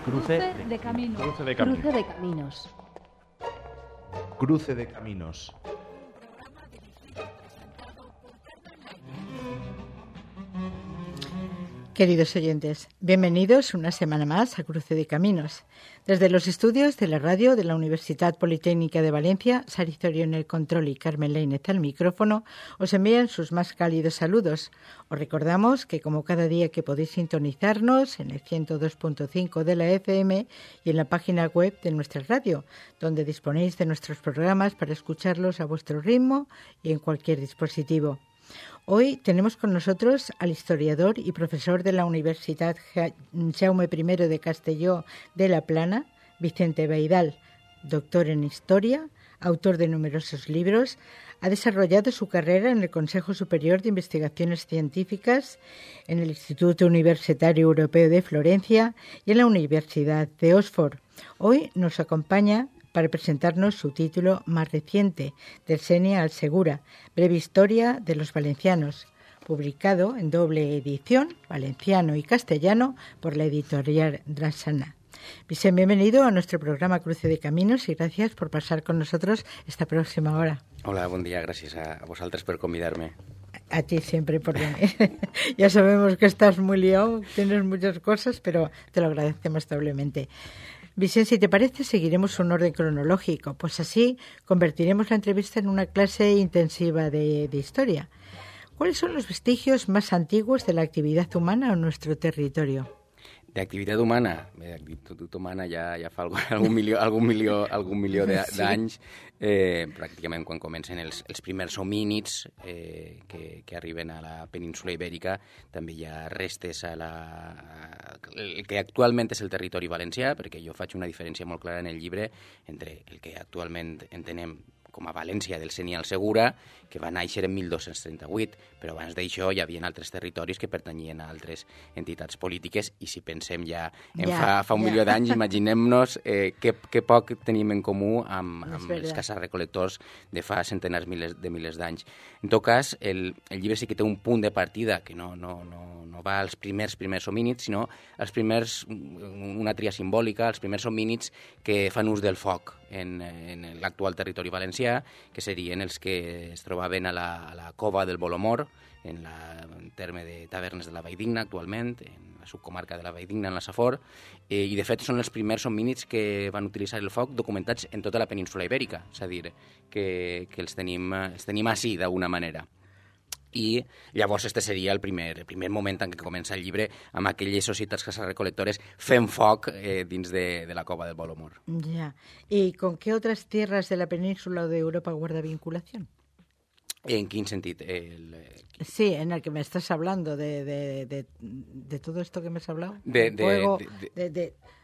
Cruce de caminos. Cruce de caminos. Cruce de caminos. Cruce de caminos. Queridos oyentes, bienvenidos una semana más a Cruce de Caminos. Desde los estudios de la radio de la Universidad Politécnica de Valencia, Sari Zorio en el control y Carmen Lainez al micrófono, os envían sus más cálidos saludos. Os recordamos que como cada día que podéis sintonizarnos en el 102.5 de la FM y en la página web de nuestra radio, donde disponéis de nuestros programas para escucharlos a vuestro ritmo y en cualquier dispositivo. Hoy tenemos con nosotros al historiador y profesor de la Universidad Jaume I de Castelló de la Plana, Vicente Baidal, doctor en Historia, autor de numerosos libros. Ha desarrollado su carrera en el Consejo Superior de Investigaciones Científicas, en el Instituto Universitario Europeo de Florencia y en la Universidad de Oxford. Hoy nos acompaña para presentarnos su título más reciente, Del Senia al Segura, breve historia de los valencianos, publicado en doble edición, valenciano y castellano, por la editorial Drassana. Vicente, bienvenido a nuestro programa Cruce de Caminos y gracias por pasar con nosotros esta próxima hora. Hola, buen día, gracias a vosaltres por convidarme. A ti siempre por venir. Ya sabemos que estás muy liado, tienes muchas cosas, pero te lo agradecemos doblemente. Vicente, si te parece, seguiremos un orden cronológico, pues así convertiremos la entrevista en una clase intensiva de historia. ¿Cuáles son los vestigios más antiguos de la actividad humana en nuestro territorio? D'activitat humana? Bé, d'activitat humana ja fa algun milió d'anys, pràcticament quan comencen els primers homínids que arriben a la península Ibèrica. També hi ha restes a el que actualment és el territori valencià, perquè jo faig una diferència molt clara en el llibre entre el que actualment entenem com a València del Senia al Segura, que va néixer en 1238, però abans d'això hi havia altres territoris que pertanyien a altres entitats polítiques, i si pensem ja en fa un milió d'anys, imaginem-nos que poc tenim en comú amb els caçarrecol·lectors de fa centenars de milers d'anys. En tot cas, el llibre sí que té un punt de partida que no va als primers homínids, sinó als primers, una tria simbòlica, als primers homínids que fan ús del foc en l'actual territori valencià, que serien els que es trobaven a la cova del Bolomor, en el terme de Tavernes de la Valldigna actualment, en la subcomarca de la Valldigna, en la Safor, i de fet són els primers homínids que van utilitzar el foc documentats en tota la península Ibèrica, és a dir, que els tenim així d'alguna manera. I llavors este seria el primer moment en què comença el llibre, amb aquelles societats caçarrecol·lectores fent foc dins de la cova del Bolomor. Ya. ¿Y con qué otras tierras de la península o de Europa guarda vinculación? ¿En quin sentit? Sí, en el que me estás hablando, de todo esto que me has hablado.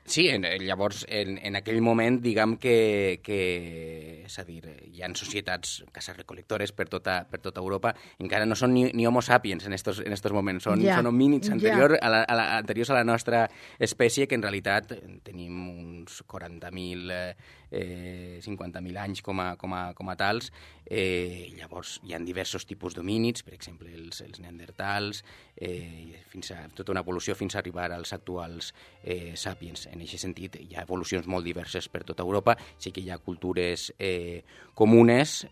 Sí, llavors, en aquell moment, diguem que és a dir, hi ha societats caçarrecol·lectores per tota Europa, encara no són ni homo sapiens en estos moments, són homínids anteriors a la nostra espècie, que en realitat tenim uns 40.000, 50.000 anys com a tals. Llavors, hi ha diversos tipus d'homínids, per exemple, els neandertals, fins a tota una evolució fins a arribar als actuals sapiens. En aquest sentit, hi ha evolucions molt diverses per tota Europa. Sí que hi ha cultures comunes,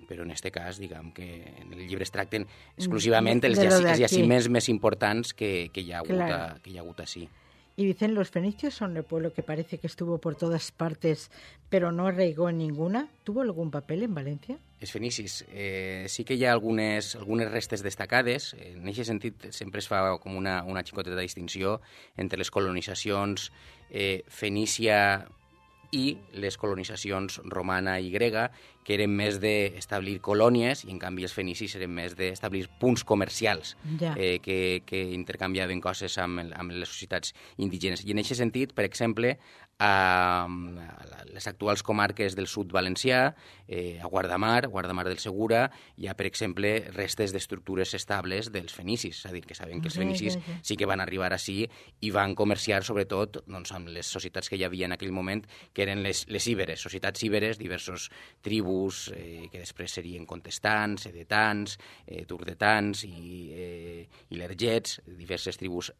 però en aquest cas, diguem que en el llibre es tracten exclusivament els jaciments més importants que hi ha hagut així. Y dicen, los fenicios son el pueblo que parece que estuvo por todas partes, pero no arraigó en ninguna. ¿Tuvo algún papel en Valencia? Els fenicis, sí que hi ha algunes restes destacades. En aquest sentit, sempre es fa com una xicoteta distinció entre les colonitzacions fenícia i les colonitzacions romana i grega, que eren més d'establir colònies, i en canvi els fenicis eren més d'establir punts comercials que intercanviaven coses amb les societats indígenes. I en aquest sentit, per exemple, a les actuals comarques del sud valencià, a Guardamar del Segura, hi ha, per exemple, restes d'estructures estables dels fenicis, és a dir, que sabem que els fenicis sí que van arribar així i van comerciar, sobretot, amb les societats que hi havia en aquell moment, que eren les íberes, societats íberes, diversos tribus que després serien contestants, edetans, turdetans i lergets, diverses tribus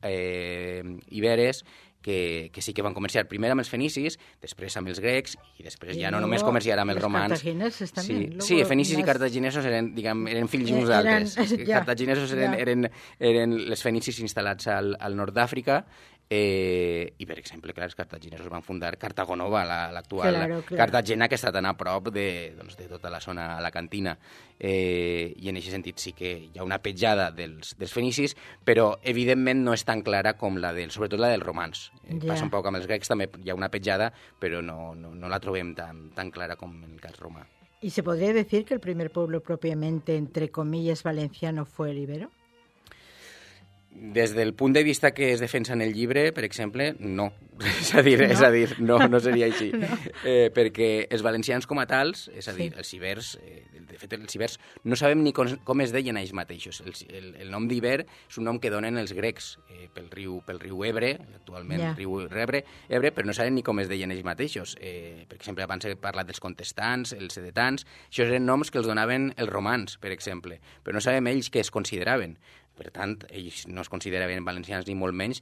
iberes, que sí que van comerciar primer amb els fenicis, després amb els grecs i després ja no només comerciar amb els romans. Els cartaginesos també. Sí, fenicis i cartaginesos eren fills uns d'altres. Els cartaginesos eren les fenicis instal·lats al nord d'Àfrica i, per exemple, clar, els cartaginesos van fundar Cartago Nova, l'actual Cartagena, que està tan a prop de tota la zona alacantina. I en aquest sentit sí que hi ha una petjada dels fenicis, però evidentment no és tan clara com sobretot la dels romans. Passa un poc amb els grecs, també hi ha una petjada, però no la trobem tan clara com en el cas romà. ¿Y se podría decir que el primer pueblo propiamente, entre comillas, valenciano fue el ibero? Des del punt de vista que es defensa en el llibre, per exemple, no. És a dir, no seria així. No. Perquè els valencians com a tals, és a dir, els ibers, de fet, els ibers no sabem ni com es deien ells mateixos. El nom d'Iber és un nom que donen els grecs pel riu Ebre, actualment el riu Ebre, però no sabem ni com es deien ells mateixos. Per exemple, abans he parlat dels contestants, els edetans, això eren noms que els donaven els romans, per exemple, però no sabem ells què es consideraven. Per tant, ells no es consideraven valencians ni molt menys,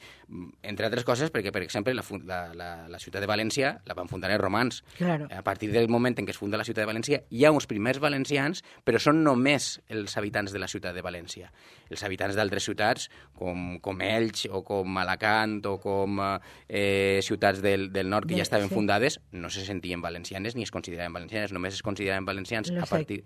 entre altres coses perquè, per exemple, la ciutat de València la van fundar els romans. Claro. A partir del moment en què es funda la ciutat de València hi ha uns primers valencians, però són només els habitants de la ciutat de València. Els habitants d'altres ciutats, com Elx o com Alacant o com ciutats del nord que ja estaven fundades, no se sentien valencianes ni es consideraven valencianes, només es consideraven valencians a partir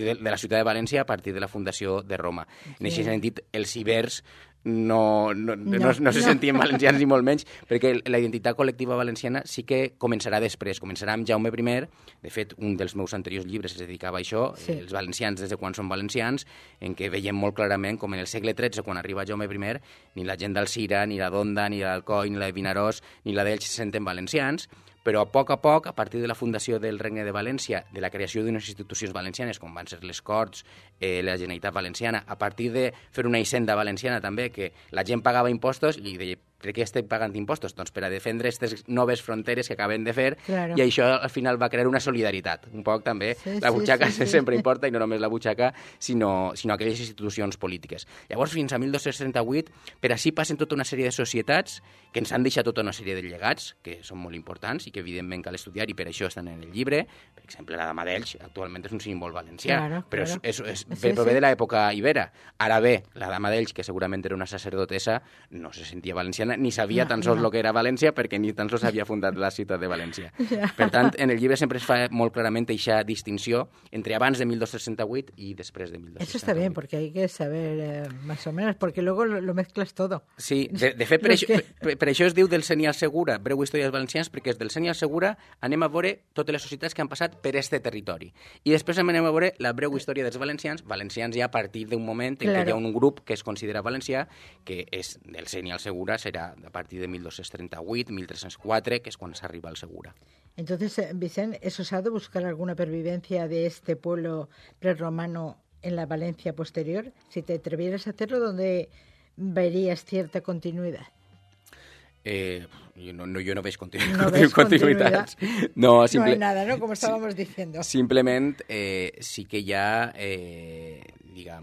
de la ciutat de València, a partir de la fundació de Roma. En aquest sentit, els ibers no se sentien valencians ni molt menys, perquè la identitat col·lectiva valenciana sí que començarà després, començarà amb Jaume I. De fet, un dels meus anteriors llibres es dedicava a això, els valencians des de quan són valencians, en què veiem molt clarament com en el segle XIII, quan arriba Jaume I, ni la gent d'Alzira, ni la d'Onda, ni l'Alcoi, ni la de Vinaròs, ni la d'Elx se senten valencians, però a poc, a partir de la fundació del Regne de València, de la creació d'unes institucions valencianes, com van ser les Corts, la Generalitat Valenciana, a partir de fer una hisenda valenciana també, que la gent pagava impostos i deia, per què estem pagant impostos? Doncs per a defendre aquestes noves fronteres que acaben de fer, i això al final va crear una solidaritat. Un poc també, la butxaca sempre importa, i no només la butxaca, sinó aquelles institucions polítiques. Llavors, fins a 1238, per així passen tota una sèrie de societats que ens han deixat tota una sèrie de llegats, que són molt importants i que evidentment cal estudiar, i per això estan en el llibre. Per exemple, la Dama d'Elx actualment és un símbol valencià, però prové de l'època ibera. Ara bé, la Dama d'Elx, que segurament era una sacerdotessa, no se sentia valenciana, ni sabia tan sols el que era València, perquè ni tan sols havia fundat la ciutat de València. Per tant, en el llibre sempre es fa molt clarament aquesta distinció entre abans de 1268 y después de 1268. Eso está bien, porque hay que saber más o menos, porque luego lo mezclas todo. Sí, de fet, per això es diu del Senyal Segura, breu història dels valencians, perquè és del Senyal Segura anem a veure totes les societats que han passat per este territori. I després anem a veure la breu història dels valencians ja a partir d'un moment en què hi ha un grup que es considera valencià, que és del Senyal Segura, serà a partir de 1238, 1304, que es cuando se arriba al Segura. Entonces, Vicent, ¿es osado buscar alguna pervivencia de este pueblo prerromano en la Valencia posterior? Si te atrevieras a hacerlo, ¿dónde verías cierta continuidad? Yo no veig continuïtats. No hay nada, ¿no? Como estábamos diciendo. Simplemente sí que hi ha, per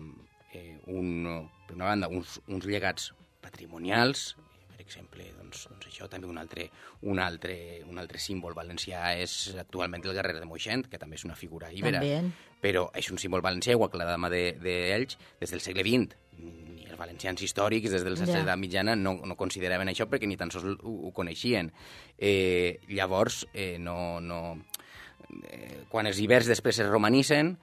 una banda, uns llegats patrimonials. Per exemple, doncs això també un altre símbol valencià és actualment el guerrer de Moixent, que també és una figura ibera, però és un símbol valencià, igual que la Dama d'Elx, des del segle XX. Ni els valencians històrics des de l'edat mitjana no consideraven això perquè ni tan sols ho coneixien. Llavors, quan els ibers després es romanitzen,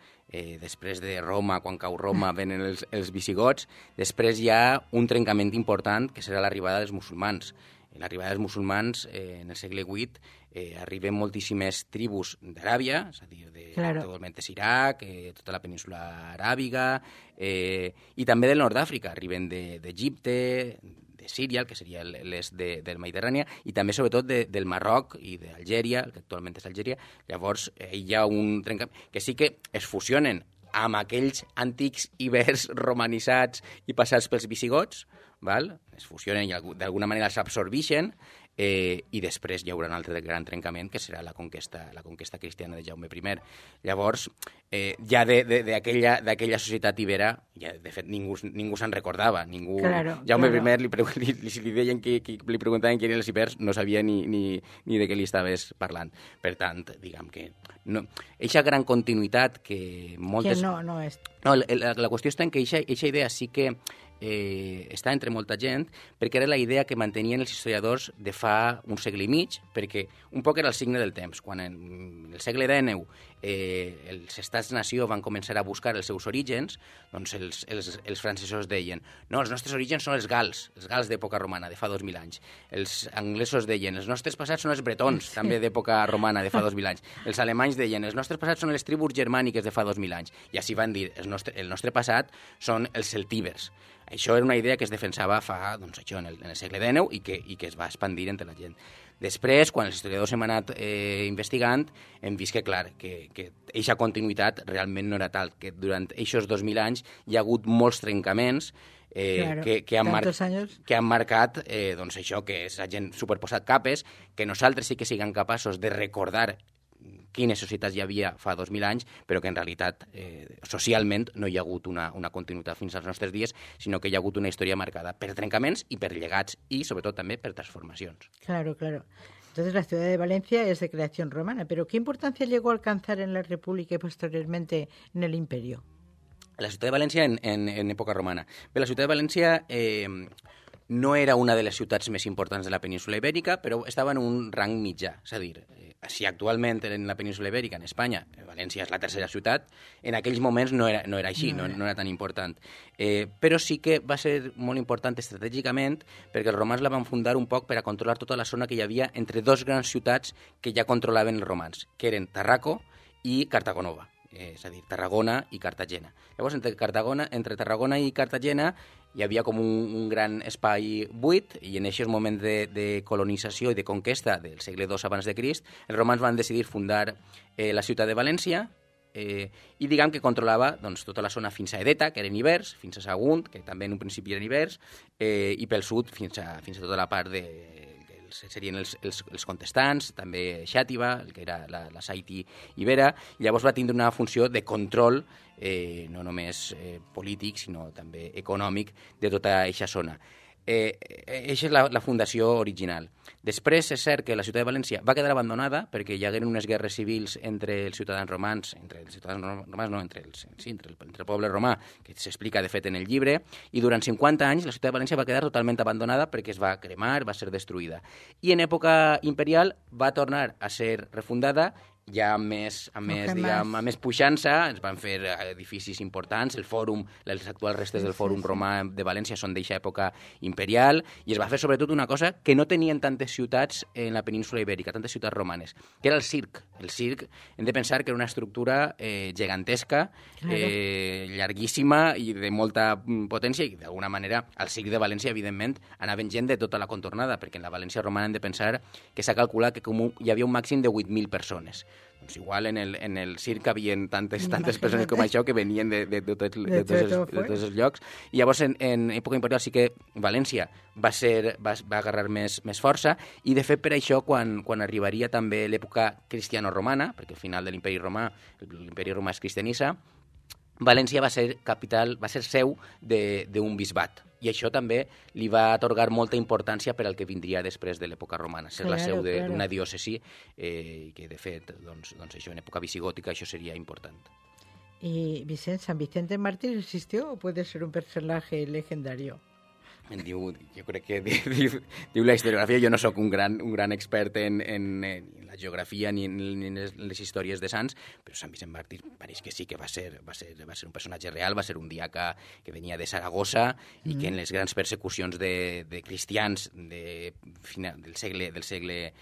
després de Roma, quan cau Roma, venen els visigots, després hi ha un trencament important, que serà l'arribada dels musulmans. En l'arribada dels musulmans, en el segle VIII, arriben moltíssimes tribus d'Aràbia, és a dir, actualment és Iraq, tota la península aràbiga, i també del nord d'Àfrica, arriben d'Egipte, de Síria, que seria l'est del Mediterrani, i també, sobretot, del Marroc i d'Algèria, el que actualment és Algèria. Llavors, hi ha un trencament que sí que es fusionen amb aquells antics ibers romanitzats i passats pels visigots, val? Es fusionen i d'alguna manera s'absorbeixen, i després hi haurà un altre gran trencament, que serà la conquesta cristiana de Jaume I. Llavors, ja d'aquella societat ibera, ja, de fet, ningú se'n recordava. Jaume I, si li deien li preguntaven qui eren els ibers, no sabia ni de què li estaves parlant. Per tant, diguem que eixa gran continuïtat que moltes... Que no és... No, la qüestió està en que eixa idea sí que està entre molta gent, perquè era la idea que mantenien els historiadors de fa un segle i mig, perquè un poc era el signe del temps. Quan en el segle XIX els estats-nació van començar a buscar els seus orígens, doncs els francesos deien no, els nostres orígens són els gals d'època romana, de fa 2.000 anys. Els anglesos deien els nostres passats són els bretons, també d'època romana, de fa 2.000 anys. Els alemanys deien els nostres passats són les tribus germàniques de fa 2.000 anys. I així van dir el nostre passat són els celtibers. Això era una idea que es defensava fa, doncs, això, en el segle XIX i que es va expandir entre la gent. Després, quan els historiadors hem anat investigant, hem vist que, clar, que eixa continuïtat realment no era tal, que durant aquests 2.000 anys hi ha hagut molts trencaments que han marcat doncs això, que s'ha gent superposat capes, que nosaltres sí que siguem capaços de recordar quines societats hi havia fa 2.000 anys, però que en realitat socialment no hi ha hagut una continuïtat fins als nostres dies, sinó que hi ha hagut una història marcada per trencaments i per llegats i, sobretot, també per transformacions. Claro. Entonces la ciudad de Valencia es de creación romana, pero ¿qué importancia llegó a alcanzar en la República y posteriormente en el Imperio? La ciutat de València en època romana. Bé, la ciutat de València no era una de les ciutats més importants de la península Ibèrica, però estava en un rang mitjà. És a dir, si actualment en la península Ibèrica, en Espanya, València és la tercera ciutat, en aquells moments no era així, no era tan important. Però sí que va ser molt important estratègicament perquè els romans la van fundar un poc per a controlar tota la zona que hi havia entre dos grans ciutats que ja controlaven els romans, que eren Tarraco i Cartagonova. És a dir, Tarragona i Cartagena. Llavors, entre Tarragona i Cartagena hi havia com un gran espai buit i en aquest moment de colonització i de conquesta del segle II abans de Crist, els romans van decidir fundar la ciutat de València i diguem que controlava doncs, tota la zona fins a Edeta, que eren ibers, fins a Sagunt, que també en un principi eren ibers, i pel sud fins a tota la part serien els contestants, també Xàtiva, que era la Saiti ibera, i llavors va tindre una funció de control no només polític, sinó també econòmic de tota aquesta zona. Eixa és la fundació original. Després és cert que la ciutat de València va quedar abandonada perquè hi hagueren unes guerres civils entre els ciutadans romans, entre el poble romà, que s'explica de fet en el llibre, i durant 50 anys la ciutat de València va quedar totalment abandonada perquè es va cremar, va ser destruïda. I en època imperial va tornar a ser refundada ja amb més puixança. Ens van fer edificis importants, el fòrum, les actuals restes del fòrum romà de València són d'eixa època imperial, i es va fer sobretot una cosa que no tenien tantes ciutats en la península ibèrica, tantes ciutats romanes, que era el circ. El circ, hem de pensar que era una estructura gegantesca, llarguíssima i de molta potència, i d'alguna manera al circ de València, evidentment, anaven gent de tota la contornada, perquè en la València romana hem de pensar que s'ha calculat que hi havia un màxim de 8.000 persones. Doncs igual en el circ hi havia tantes persones com això que venien de tots els llocs. I llavors en època imperial sí que València va agarrar més força, i de fet per això quan arribaria també l'època cristiano-romana, perquè al final de l'imperi romà es cristianitza, València va ser seu d'un bisbat. I això també li va atorgar molta importància per al que vindria després de l'època romana, ser la seu d'una diòcesi, que de fet, doncs això, en època visigòtica això seria important. ¿Y San Vicente Mártir existió o puede ser un personaje legendario? Jo crec que diu la historiografia. Jo no sóc un gran expert en la geografia ni en les històries de sants, però Sant Vicent Màrtir pareix que sí que va ser un personatge real, va ser un diaca que venia de Saragossa i que en les grans persecucions de cristians del segle III,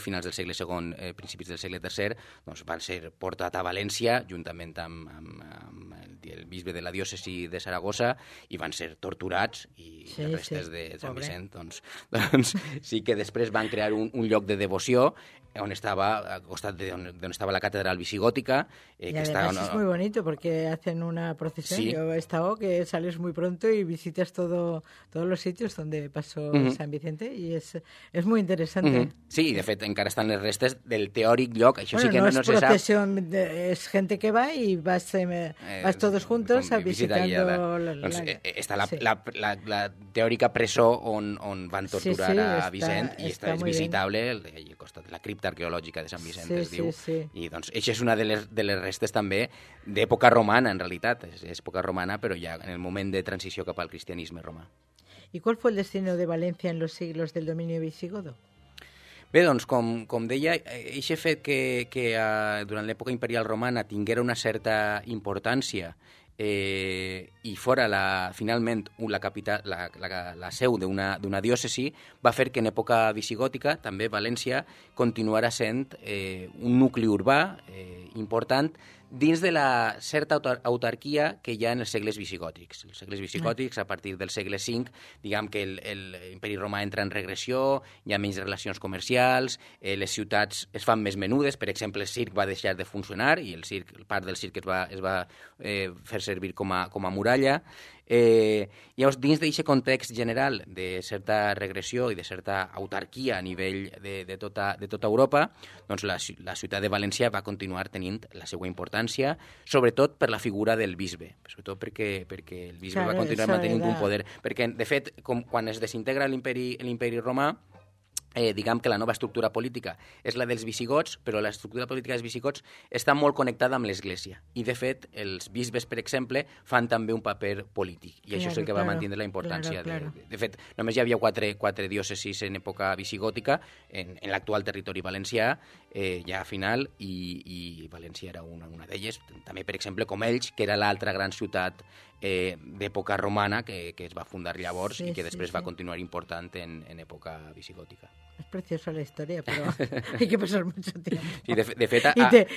finals del segle II, principis del segle III, doncs van ser portat a València juntament amb el bisbe de la diòcesi de Saragossa i van ser torturats i i Sí, les restes sí, de Sant pobre. Vicent, doncs sí que després van crear un lloc de devoció on estava, al costat d'on estava la catedral visigòtica. Y que además està, es muy bonito porque hacen una procesión. Sí. Yo he estado que sales muy pronto y visitas todos los sitios donde pasó San Vicente y es muy interesante. Sí, de fet, encara estan les restes del teòric lloc. Això Bueno, sí que no no es se sap. procesión, es gente que va y vas todos juntos com visita visitando guiada. Doncs, està la, sí. la teòrica presó on van torturar Sí, sí, a està- Vicent i està és muy bien. visitable al costat de la cripta arqueològica de Sant Vicent, Sí, es diu. sí. I doncs això és una de les restes també d'època romana, en realitat. És època romana, però ja en el moment de transició cap al cristianisme romà. ¿Y cuál fue el destino de Valencia en los siglos del dominio visigodo? Bé, doncs, com deia, aquest fet que durant l'època imperial romana tinguera una certa importància i fora finalment la seu d'una diòcesi, va fer que en època visigòtica també València continuara sent un nucli urbà important dins de la certa autarquia que hi ha en els segles visigòtics. Els segles visigòtics, a partir del segle V, diguem que l'imperi romà entra en regressió, hi ha menys relacions comercials, les ciutats es fan més menudes, per exemple, el circ va deixar de funcionar i part del circ es va fer servir com a muralla. Llavors, dins d'aquest context general de certa regressió i de certa autarquia a nivell de tota Europa, doncs la ciutat de València va continuar tenint la seva importància, sobretot per la figura del bisbe, sobretot perquè el bisbe va continuar mantenint un poder. Perquè, de fet, quan es desintegra l'imperi romà, diguem que la nova estructura política és la dels visigots, però l'estructura política dels visigots està molt connectada amb l'Església. I, de fet, els bisbes, per exemple, fan també un paper polític. I això és el que va mantenir la importància. De fet, només hi havia quatre diòcesis en època visigòtica, en l'actual territori valencià, ja a final, i València era una d'elles. També, per exemple, com Elx, que era l'altra gran ciutat d'època romana que es va fundar llavors i que després va continuar important en època visigòtica. Es preciosa la historia, pero hay que pasar mucho tiempo. Sí, de fet,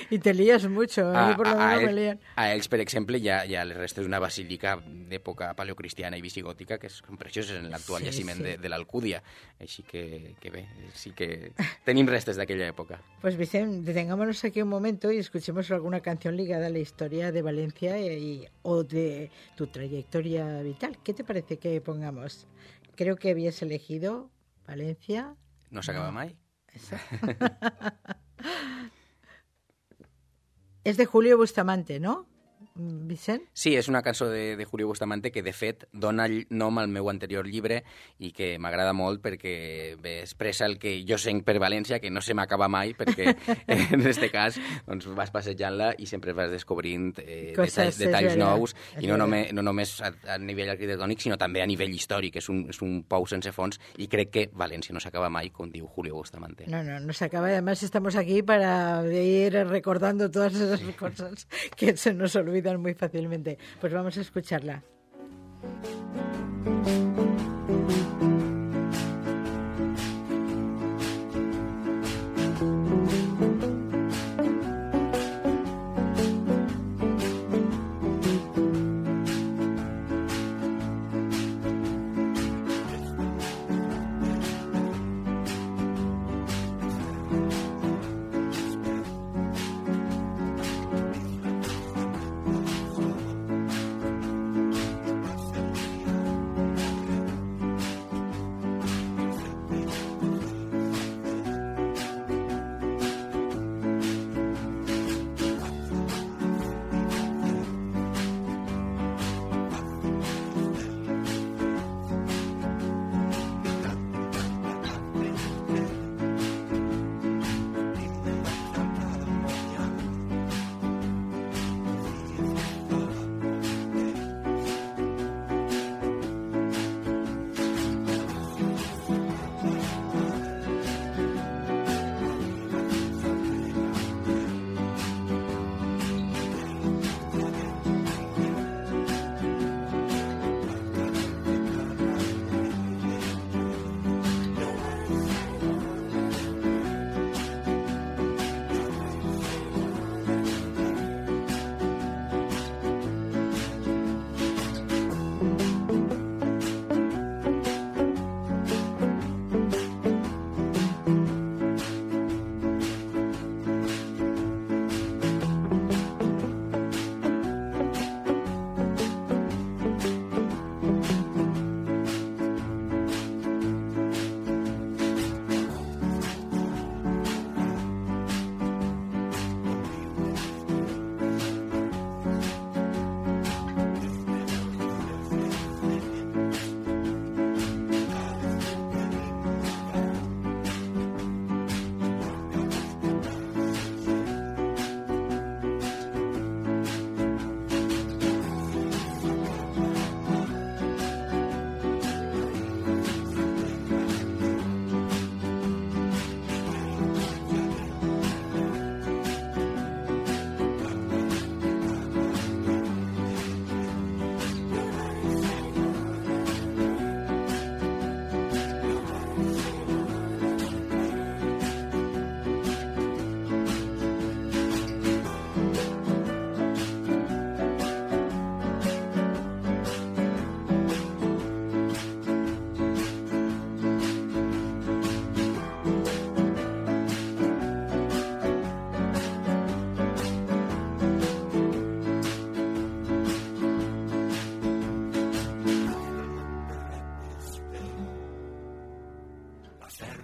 y te lías mucho. A mí por lo menos me lían. A ells, per exemple, hi ha les restes d'una basílica d'època paleocristiana i visigòtica que són precioses en l'actual jaciment de l'Alcúdia. Així que bé, sí que tenim restes d'aquella època. Pues Vicente, detengámonos aquí un momento y escuchemos alguna canción ligada a la historia de Valencia o de tu trayectoria vital. ¿Qué te parece que pongamos? Creo que habías elegido Valencia. No s'acaba mai? Eso. Es de Julio Bustamante, ¿no, Vicent? Sí, és una cançó de Julio Bustamante que, de fet, dona nom al meu anterior llibre i que m'agrada molt perquè expressa el que jo sent per València, que no se m'acaba mai, perquè en aquest cas doncs, vas passejant-la i sempre vas descobrint detalls nous, i no només a nivell arquitectònic, sinó també a nivell històric. És un pou sense fons i crec que València no s'acaba mai, com diu Julio Bustamante. No se acaba. Además, estamos aquí para ir recordando todas esas cosas que se nos olvidan muy fácilmente. Pues vamos a escucharla.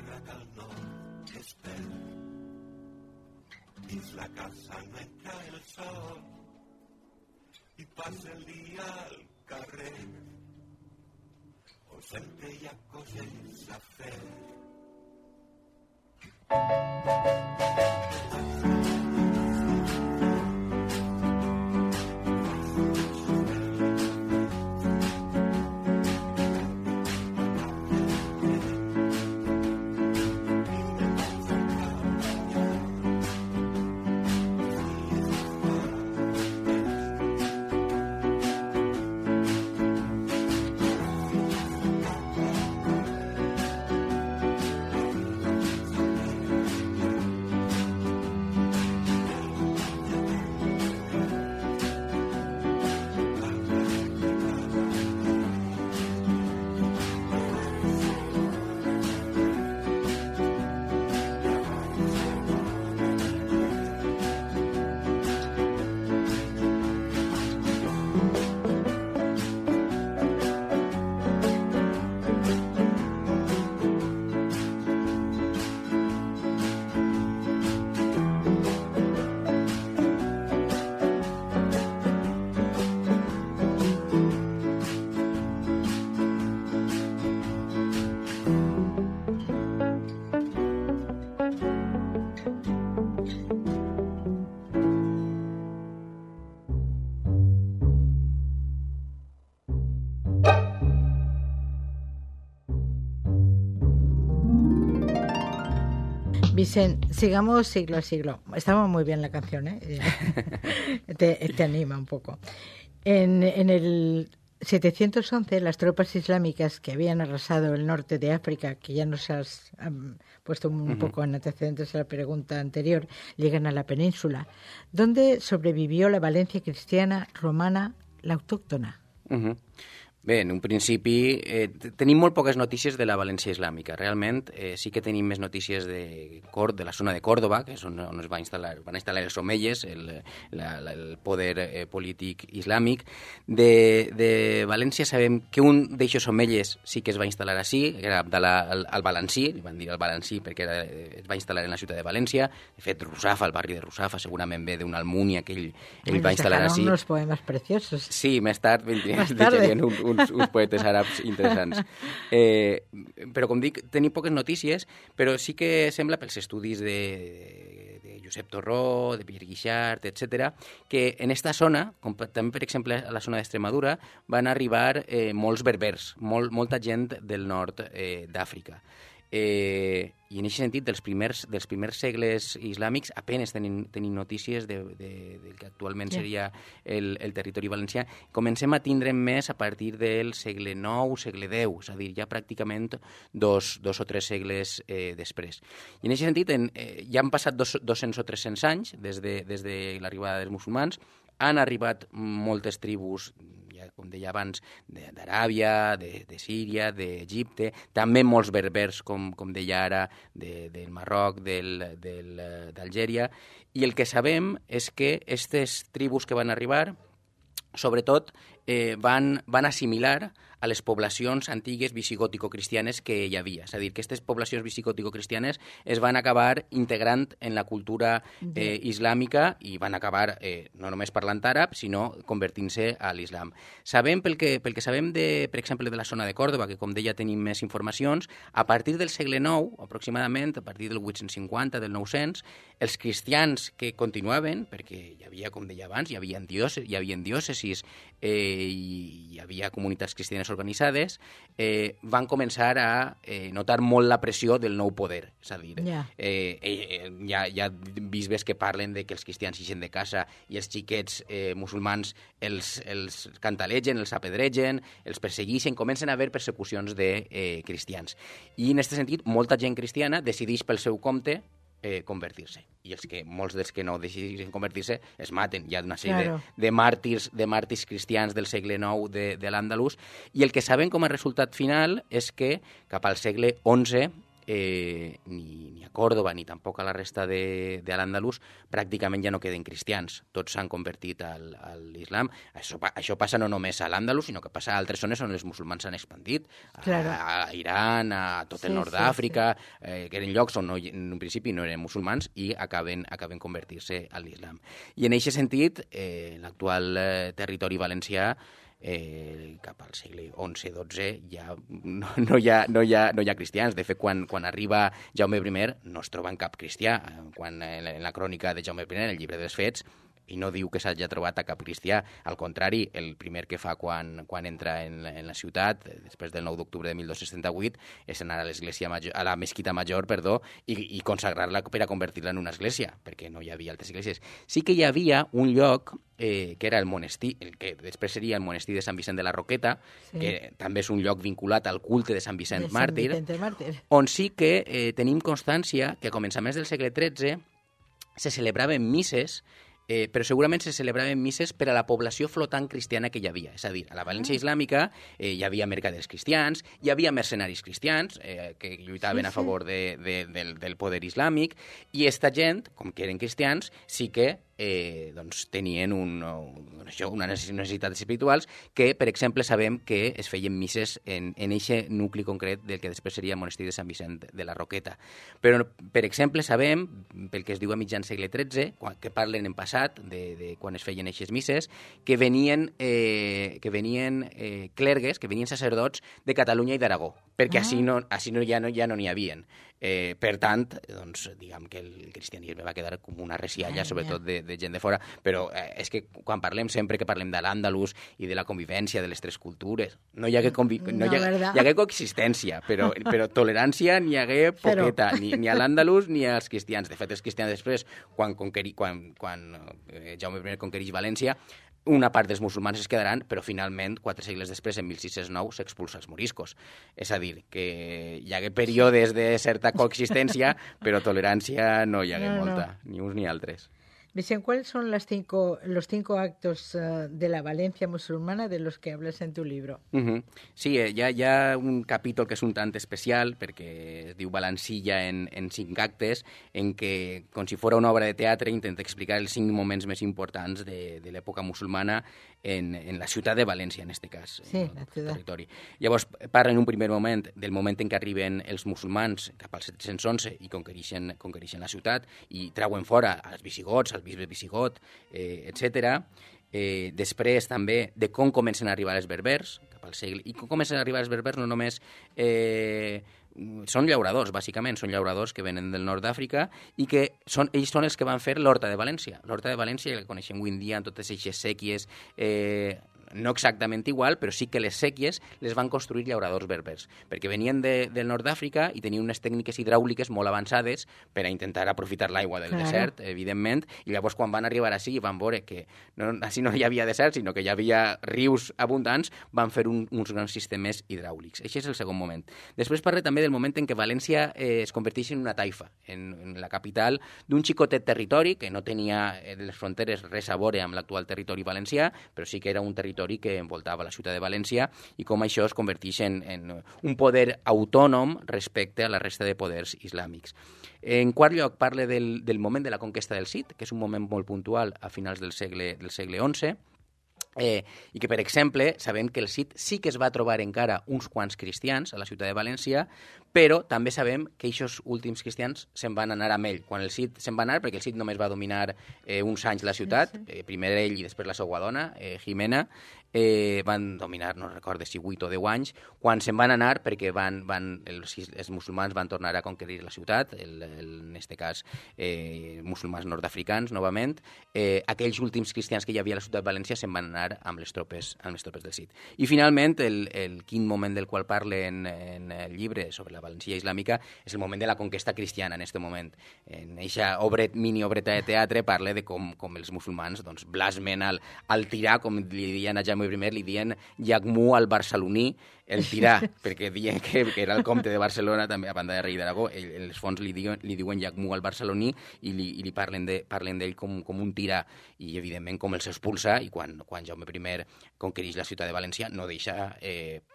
terra del nord es perd. Dins la casa no entra el sol i passa el dia al carrer, on sempre hi ha coses a fer. Vicent, sigamos siglo a siglo. Estaba muy bien la canción, ¿eh? te anima un poco. En el 711, las tropas islámicas que habían arrasado el norte de África, que ya nos has puesto un poco en antecedentes a la pregunta anterior, llegan a la península, donde sobrevivió la Valencia cristiana romana, la autóctona. Bé, en un principi tenim molt poques notícies de la València islàmica. Realment sí que tenim més notícies de la zona de Còrdova, que és on es van instal·lar els omeyes, el poder polític islàmic. De València sabem que un d'aixòs omeyes sí que es va instal·lar ací, que era al Valencí, li van dir al Valencí perquè es va instal·lar en la ciutat de València. De fet, Russafa, el barri de Russafa, segurament ve d'una almunia que ell va instal·lar ací. Unos poemas preciosos. Sí, més tard deixarien uns poetes àrabs interessants. Però, com dic, tenim poques notícies, però sí que sembla, pels estudis de Josep Torró, de Pierre Guixart, etc., que en esta zona, com també, per exemple, a la zona d'Extremadura, van arribar molts berbers, molta gent del nord d'Àfrica. I en aquest sentit, dels primers segles islàmics, apenes tenim notícies del que actualment seria el territori valencià. Comencem a tindre més a partir del segle IX, segle X, és a dir, ja pràcticament dos o tres segles després. I en aquest sentit, ja han passat 200 o 300 anys des de l'arribada dels musulmans, han arribat moltes tribus, com deia abans, d'Aràbia, de Síria, d'Egipte, també molts berbers, com deia ara, del Marroc, d'Algèria, i el que sabem és que aquestes tribus que van arribar, sobretot, van assimilar a les poblacions antigues visigòtico-cristianes que hi havia. És a dir, que aquestes poblacions visigòtico-cristianes es van acabar integrant en la cultura islàmica i van acabar no només parlant àrab, sinó convertint-se a l'islam. Sabem, pel que sabem, per exemple, de la zona de Còrdova, que com deia tenim més informacions, a partir del segle IX, aproximadament, a partir del 850, del 900, els cristians que continuaven, perquè hi havia, com deia abans, hi havia diòcesis i hi havia comunitats cristianes organitzades, van començar a notar molt la pressió del nou poder. És a dir, hi ha bisbes que parlen de que els cristians ixen de casa i els xiquets musulmans els cantalegen, els apedregen, els persegueixen, comencen a haver persecucions de cristians. I en aquest sentit, molta gent cristiana decideix pel seu compte convertir-se. I molts dels que no decideixen convertir-se es maten. Hi ha una sèrie de màrtirs cristians del segle IX de l'Àndalus, i el que sabem com a resultat final és que cap al segle XI ni a Còrdova ni tampoc a la resta de l'Àndalus pràcticament ja no queden cristians. Tots s'han convertit a l'islam. Això passa no només a l'Àndalus, sinó que passa a altres zones on els musulmans s'han expandit, a Iran, a tot el nord d'Àfrica, que eren llocs on en un principi no eren musulmans i acaben convertir-se a l'islam. I en aquest sentit, l'actual territori valencià cap al segle XI-XII ja no hi ha cristians. De fet, quan arriba Jaume I no es troba en cap cristià. Quan en la crònica de Jaume I, el llibre dels Fets, i no diu que s'hagi trobat a cap cristià. Al contrari, el primer que fa quan entra en la ciutat, després del 9 d'octubre de 1278, és anar a la mesquita major, i consagrar-la per a convertir-la en una església, perquè no hi havia altres esglésies. Sí que hi havia un lloc que era el monestir, el que després seria el monestir de Sant Vicent de la Roqueta, que també és un lloc vinculat al culte de Sant Vicent Màrtir, on sí que tenim constància que a començaments del segle XIII se celebraven misses, però segurament se celebraven misses per a la població flotant cristiana que hi havia. És a dir, a la València islàmica hi havia mercaders cristians, hi havia mercenaris cristians que lluitaven a favor del poder islàmic, i esta gent, com que eren cristians, sí que tenien unes necessitats espirituals que, per exemple, sabem que es feien misses en aquest nucli concret del que després seria el monestir de Sant Vicent de la Roqueta. Però, per exemple, sabem, pel que es diu a mitjan segle XIII, que parlen en passat de quan es feien aquestes misses, que venien clergues, que venien sacerdots de Catalunya i d'Aragó, perquè així ja no n'hi havien. Per tant, doncs, diguem que el cristianisme va quedar com una resialla, sobretot de gent de fora, però és que quan parlem, sempre que parlem de l'Àndalus i de la convivència de les tres cultures, no hi hagué coexistència, però tolerància n'hi hagué poqueta, ni a l'Àndalus ni als cristians. De fet, els cristians després, quan Jaume I conquereix València, una part dels musulmans es quedaran, però finalment, 4 segles després, en 1609, s'expulsa els moriscos. És a dir, que hi hagué períodes de certa coexistència, però tolerància no hi hagué molta, ni uns ni altres. Vicent, ¿cuáles son los 5 actos de la Valencia musulmana de los que hablas en tu libro? Sí, hi ha un capítol que és un tant especial, perquè es diu Valencilla en 5 actes, en què, com si fos una obra de teatre, intenta explicar els 5 moments més importants de l'època musulmana en la ciutat de València, en aquest cas, en el territori. Llavors, parla en un primer moment del moment en què arriben els musulmans cap al 711 i conquereixen la ciutat i trauen fora als visigots, al bisbe visigot, etc. Després també de com comencen a arribar els berbers cap al segle... I com comencen a arribar els berbers no només... són llauradors, bàsicament, són llauradors que venen del nord d'Àfrica i que ells són els que van fer l'Horta de València. L'Horta de València, que coneixem avui en dia amb totes aquestes sèquies, no exactament igual, però sí que les sèquies les van construir llauradors berbers, perquè venien del nord d'Àfrica i tenien unes tècniques hidràuliques molt avançades per a intentar aprofitar l'aigua del desert, evidentment, i llavors quan van arribar així i van veure que així no hi havia desert, sinó que hi havia rius abundants, van fer uns grans sistemes hidràulics. Això és el segon moment. Després parla també del moment en què València es converteix en una taifa, en la capital d'un xicotet territori que no tenia les fronteres res a veure amb l'actual territori valencià, però sí que era un territori que envoltava la ciutat de València i com això es converteix en un poder autònom respecte a la resta de poders islàmics. En quart lloc, parla del moment de la conquesta del Cid, que és un moment molt puntual a finals del segle XI, i que, per exemple, sabem que el Cid sí que es va trobar encara uns quants cristians a la ciutat de València, però també sabem que aquests últims cristians se'n van anar amb ell. Quan el Cid se'n va anar, perquè el Cid només va dominar uns anys la ciutat, primer ell i després la seva dona, Jimena, van dominar, no recordo si 8 o 10 anys, quan se'n van anar perquè els musulmans van tornar a conquerir la ciutat, en aquest cas musulmans nord-africans, novament, aquells últims cristians que hi havia a la ciutat de València se'n van anar amb les tropes del Cid. I finalment, el quint moment del qual parle en el llibre sobre la València islàmica és el moment de la conquesta cristiana en aquest moment. En aquesta mini-obreta de teatre parla de com els musulmans blasmen al tirà, com li diuen a Jaume I, li diuen Llagmú al barceloní, el tirà, perquè diuen que era el comte de Barcelona, també a banda de rei d'Aragó, en els fons li diuen Llagmú al barceloní i li parlen d'ell com un tirà, i evidentment com els expulsa, i quan Jaume Jaume I conquereix la ciutat de València, no deixa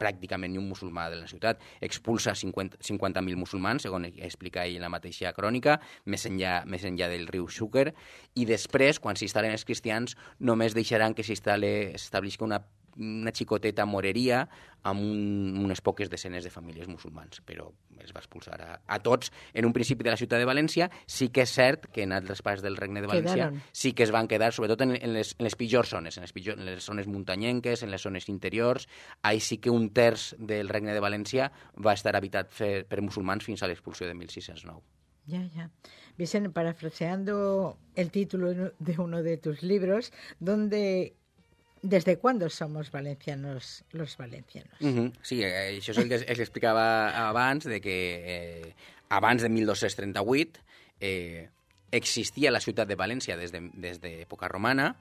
pràcticament ni un musulmà de la ciutat. Expulsa 50.000 musulmans, segons explica ell en la mateixa crònica, més enllà del riu Xúquer, i després, quan s'instal·len els cristians, només deixaran que s'establisca una xicoteta moreria amb unes poques desenes de famílies musulmans, però es va expulsar a tots. En un principi de la ciutat de València sí que és cert que en altres parts del Regne de València sí que es van quedar, sobretot en les pitjors zones, en les zones muntanyenques, en les zones interiors. Ahí sí que un terç del Regne de València va estar habitat per musulmans fins a l'expulsió de 1609. Ya. Vicente, parafraseando el título de uno de tus libros, ¿desde cuándo somos valencianos los valencianos? Sí, això és el que explicava abans, de que abans de 1238 existia la ciutat de València des d'època romana,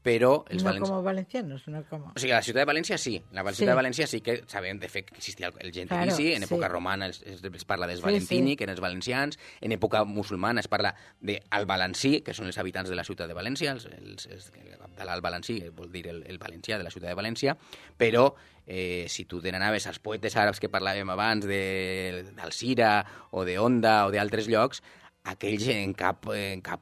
però els como valencianos, no como... O sigui, la ciutat de València sí. La ciutat de València sí que sabem, de fet, que existia el gentilici. En època romana es parla dels valentini, que eren els valencians. En època musulmana es parla del valencí, que són els habitants de la ciutat de València. El valencí vol dir el valencià de la ciutat de València. Però si tu te n'anaves als poetes àrabs que parlàvem abans, d'Alcira o d'Onda o d'altres llocs, aquells en cap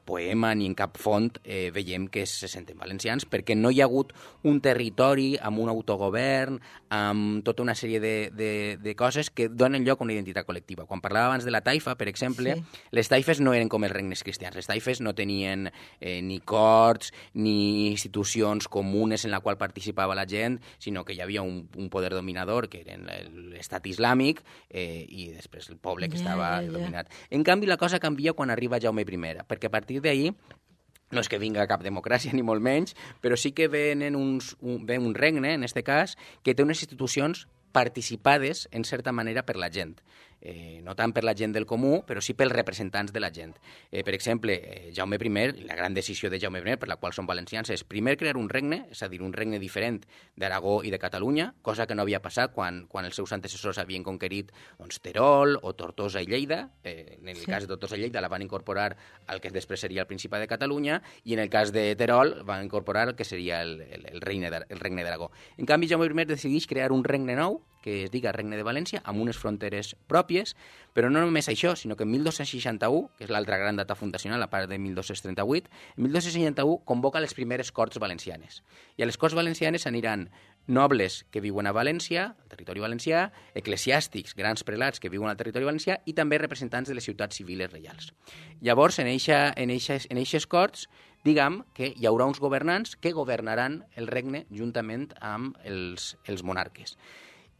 poema ni en cap font veiem que se senten valencians, perquè no hi ha hagut un territori amb un autogovern, amb tota una sèrie de coses que donen lloc a una identitat col·lectiva. Quan parlava abans de la taifa, per exemple, les taifes no eren com els regnes cristians. Les taifes no tenien ni corts ni institucions comunes en la qual participava la gent, sinó que hi havia un poder dominador, que era l'estat islàmic, i després el poble que estava dominat. En canvi, la cosa canvia quan arriba Jaume I, perquè a partir d'ahir no és que vinga cap democràcia ni molt menys, però sí que ve un regne, en aquest cas, que té unes institucions participades, en certa manera, per la gent. No tant per la gent del comú, però sí pels representants de la gent. Per exemple, Jaume I, la gran decisió de Jaume I, per la qual són valencians, és primer crear un regne, és a dir, un regne diferent d'Aragó i de Catalunya, cosa que no havia passat quan els seus antecessors havien conquerit Terol o Tortosa i Lleida. En el cas de Tortosa i Lleida la van incorporar al que després seria el Principat de Catalunya, i en el cas de Terol van incorporar el que seria el regne d'Aragó. En canvi, Jaume I decideix crear un regne nou, que es diga Regne de València, amb unes fronteres pròpies, però no només això, sinó que en 1261, que és l'altra gran data fundacional, a part de 1238, en 1261 convoca les primeres Corts Valencianes. I a les Corts Valencianes aniran nobles que viuen a València, al territori valencià, eclesiàstics, grans prelats que viuen al territori valencià, i també representants de les ciutats civiles reials. Llavors, en eixes Corts, diguem que hi haurà uns governants que governaran el regne juntament amb els monarques.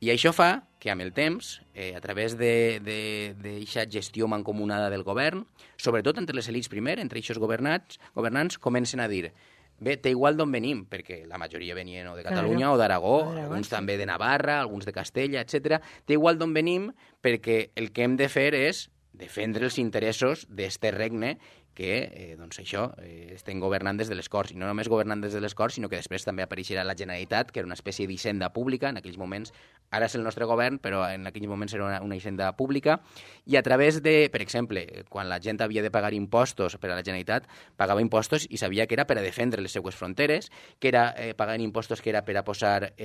I això fa que amb el temps, a través d'aquesta gestió mancomunada del govern, sobretot entre les elits primer, entre aquests governants comencen a dir bé, té igual d'on venim, perquè la majoria venien o de Catalunya o d'Aragó, alguns també de Navarra, alguns de Castella, etc. Té igual d'on venim perquè el que hem de fer és defendre els interessos d'este regne que, doncs això, estem governant des de les Corts. I no només governant des de les Corts, sinó que després també apareixerà la Generalitat, que era una espècie d'hisenda pública en aquells moments. Ara és el nostre govern, però en aquells moments era una hisenda pública. I a través de, per exemple, quan la gent havia de pagar impostos per a la Generalitat, pagava impostos i sabia que era per a defendre les seues fronteres, que era pagant impostos que era per a posar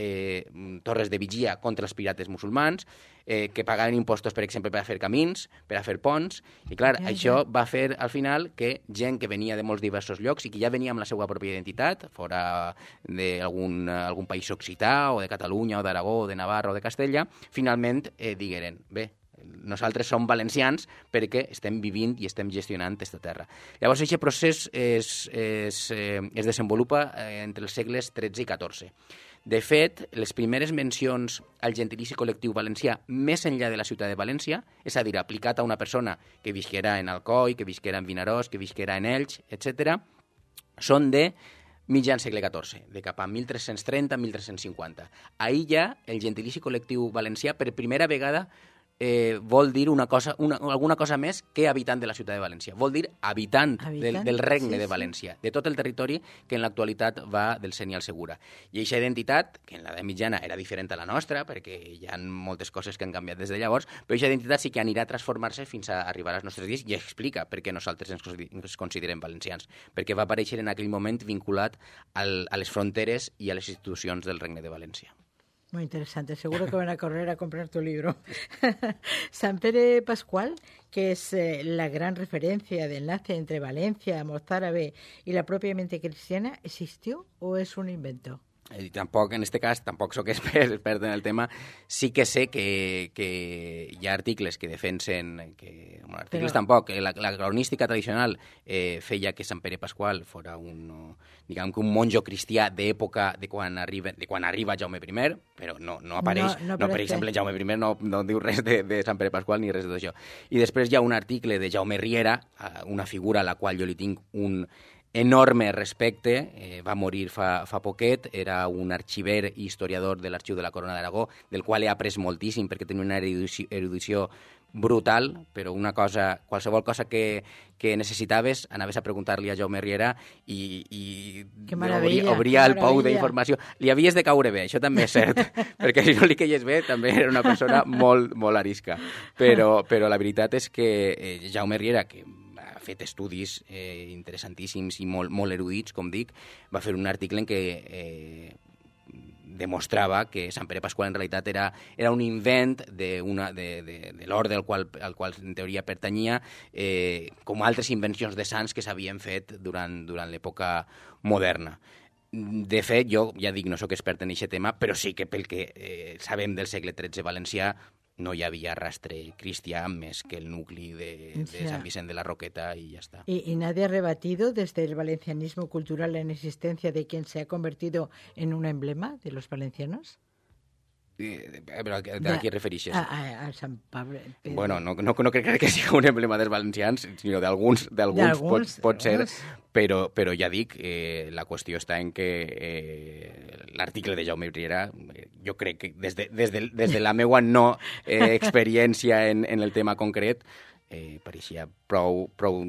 torres de vigia contra els pirates musulmans, que pagaven impostos, per exemple, per a fer camins, per a fer ponts, i clar, això va fer al final que gent que venia de molts diversos llocs i que ja venia amb la seva pròpia identitat, fora d'algun país occità, o de Catalunya, o d'Aragó, o de Navarra, o de Castella, finalment digueren, bé, nosaltres som valencians perquè estem vivint i estem gestionant aquesta terra. Llavors, aquest procés es desenvolupa entre els segles XIII i XIV. De fet, les primeres mencions al gentilici col·lectiu valencià més enllà de la ciutat de València, és a dir, aplicat a una persona que visquera en Alcoi, que visquera en Vinaròs, que visquera en Elx, etc., són de mitjan segle XIV, de cap a 1330-1350. Ahir ja el gentilici col·lectiu valencià per primera vegada vol dir alguna cosa més que habitant de la ciutat de València. Vol dir habitant del regne de València, de tot el territori que en l'actualitat va del Seny al Segura. I aquesta identitat, que en l'edat mitjana era diferent a la nostra, perquè hi ha moltes coses que han canviat des de llavors, però aquesta identitat sí que anirà a transformar-se fins a arribar als nostres dies i explica per què nosaltres ens considerem valencians, perquè va aparèixer en aquell moment vinculat a les fronteres i a les institucions del Regne de València. Muy interesante. Seguro que van a correr a comprar tu libro. San Pere Pascual, que es la gran referencia de enlace entre Valencia, mozárabe y la propiamente cristiana, ¿existió o es un invento? Tampoc, en este cas, tampoc sóc expert en el tema. Sí que sé que hi ha articles que defensen... Articles tampoc. La cronística tradicional feia que Sant Pere Pasqual fora un monjo cristià d'època de quan arriba Jaume I, però no apareix. No, per exemple, Jaume I no diu res de Sant Pere Pasqual ni res d'això. I després hi ha un article de Jaume Riera, una figura a la qual jo li tinc un enorme respecte, va morir fa poquet, era un arxiver i historiador de l'Arxiu de la Corona d'Aragó, del qual he après moltíssim perquè tenia una erudició brutal, però qualsevol cosa que necessitaves, anaves a preguntar-li a Jaume Riera i obria el pou d'informació. Li havies de caure bé, això també és cert, perquè si no li queies bé també era una persona molt, molt arisca. Però la veritat és que Jaume Riera, que ha fet estudis interessantíssims i molt erudits, com dic, va fer un article en què demostrava que Sant Pere Pasqual en realitat era un invent de l'orde al qual en teoria pertanyia, com altres invencions de sants que s'havien fet durant l'època moderna. De fet, jo ja dic, no sóc expert en aquest tema, però sí que pel que sabem del segle XIII valencià no hi havia rastre cristià més que el nucli de Sant Vicent de la Roqueta y ya está. ¿Y nadie ha rebatido desde el valencianismo cultural la inexistencia de quien se ha convertido en un emblema de los valencianos? Però a qui et refereixes? A Sant Pablo. Bueno, no crec que sigui un emblema dels valencians, sinó d'alguns pot ser, però ja dic, la qüestió està en que l'article de Jaume Riera, jo crec que des de la meva no experiència en el tema concret, pareixia prou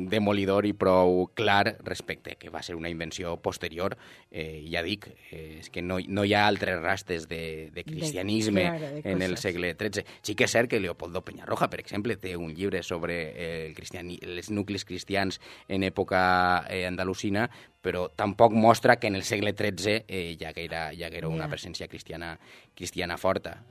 demolidor i prou clar respecte que va ser una invenció posterior. Ja dic, és que no hi ha altres rastres de cristianisme en el segle XIII. Sí que és cert que Leopoldo Peñarroja, per exemple, té un llibre sobre els nuclis cristians en època andalusina, però tampoc mostra que en el segle XIII ja era una presència cristiana forta.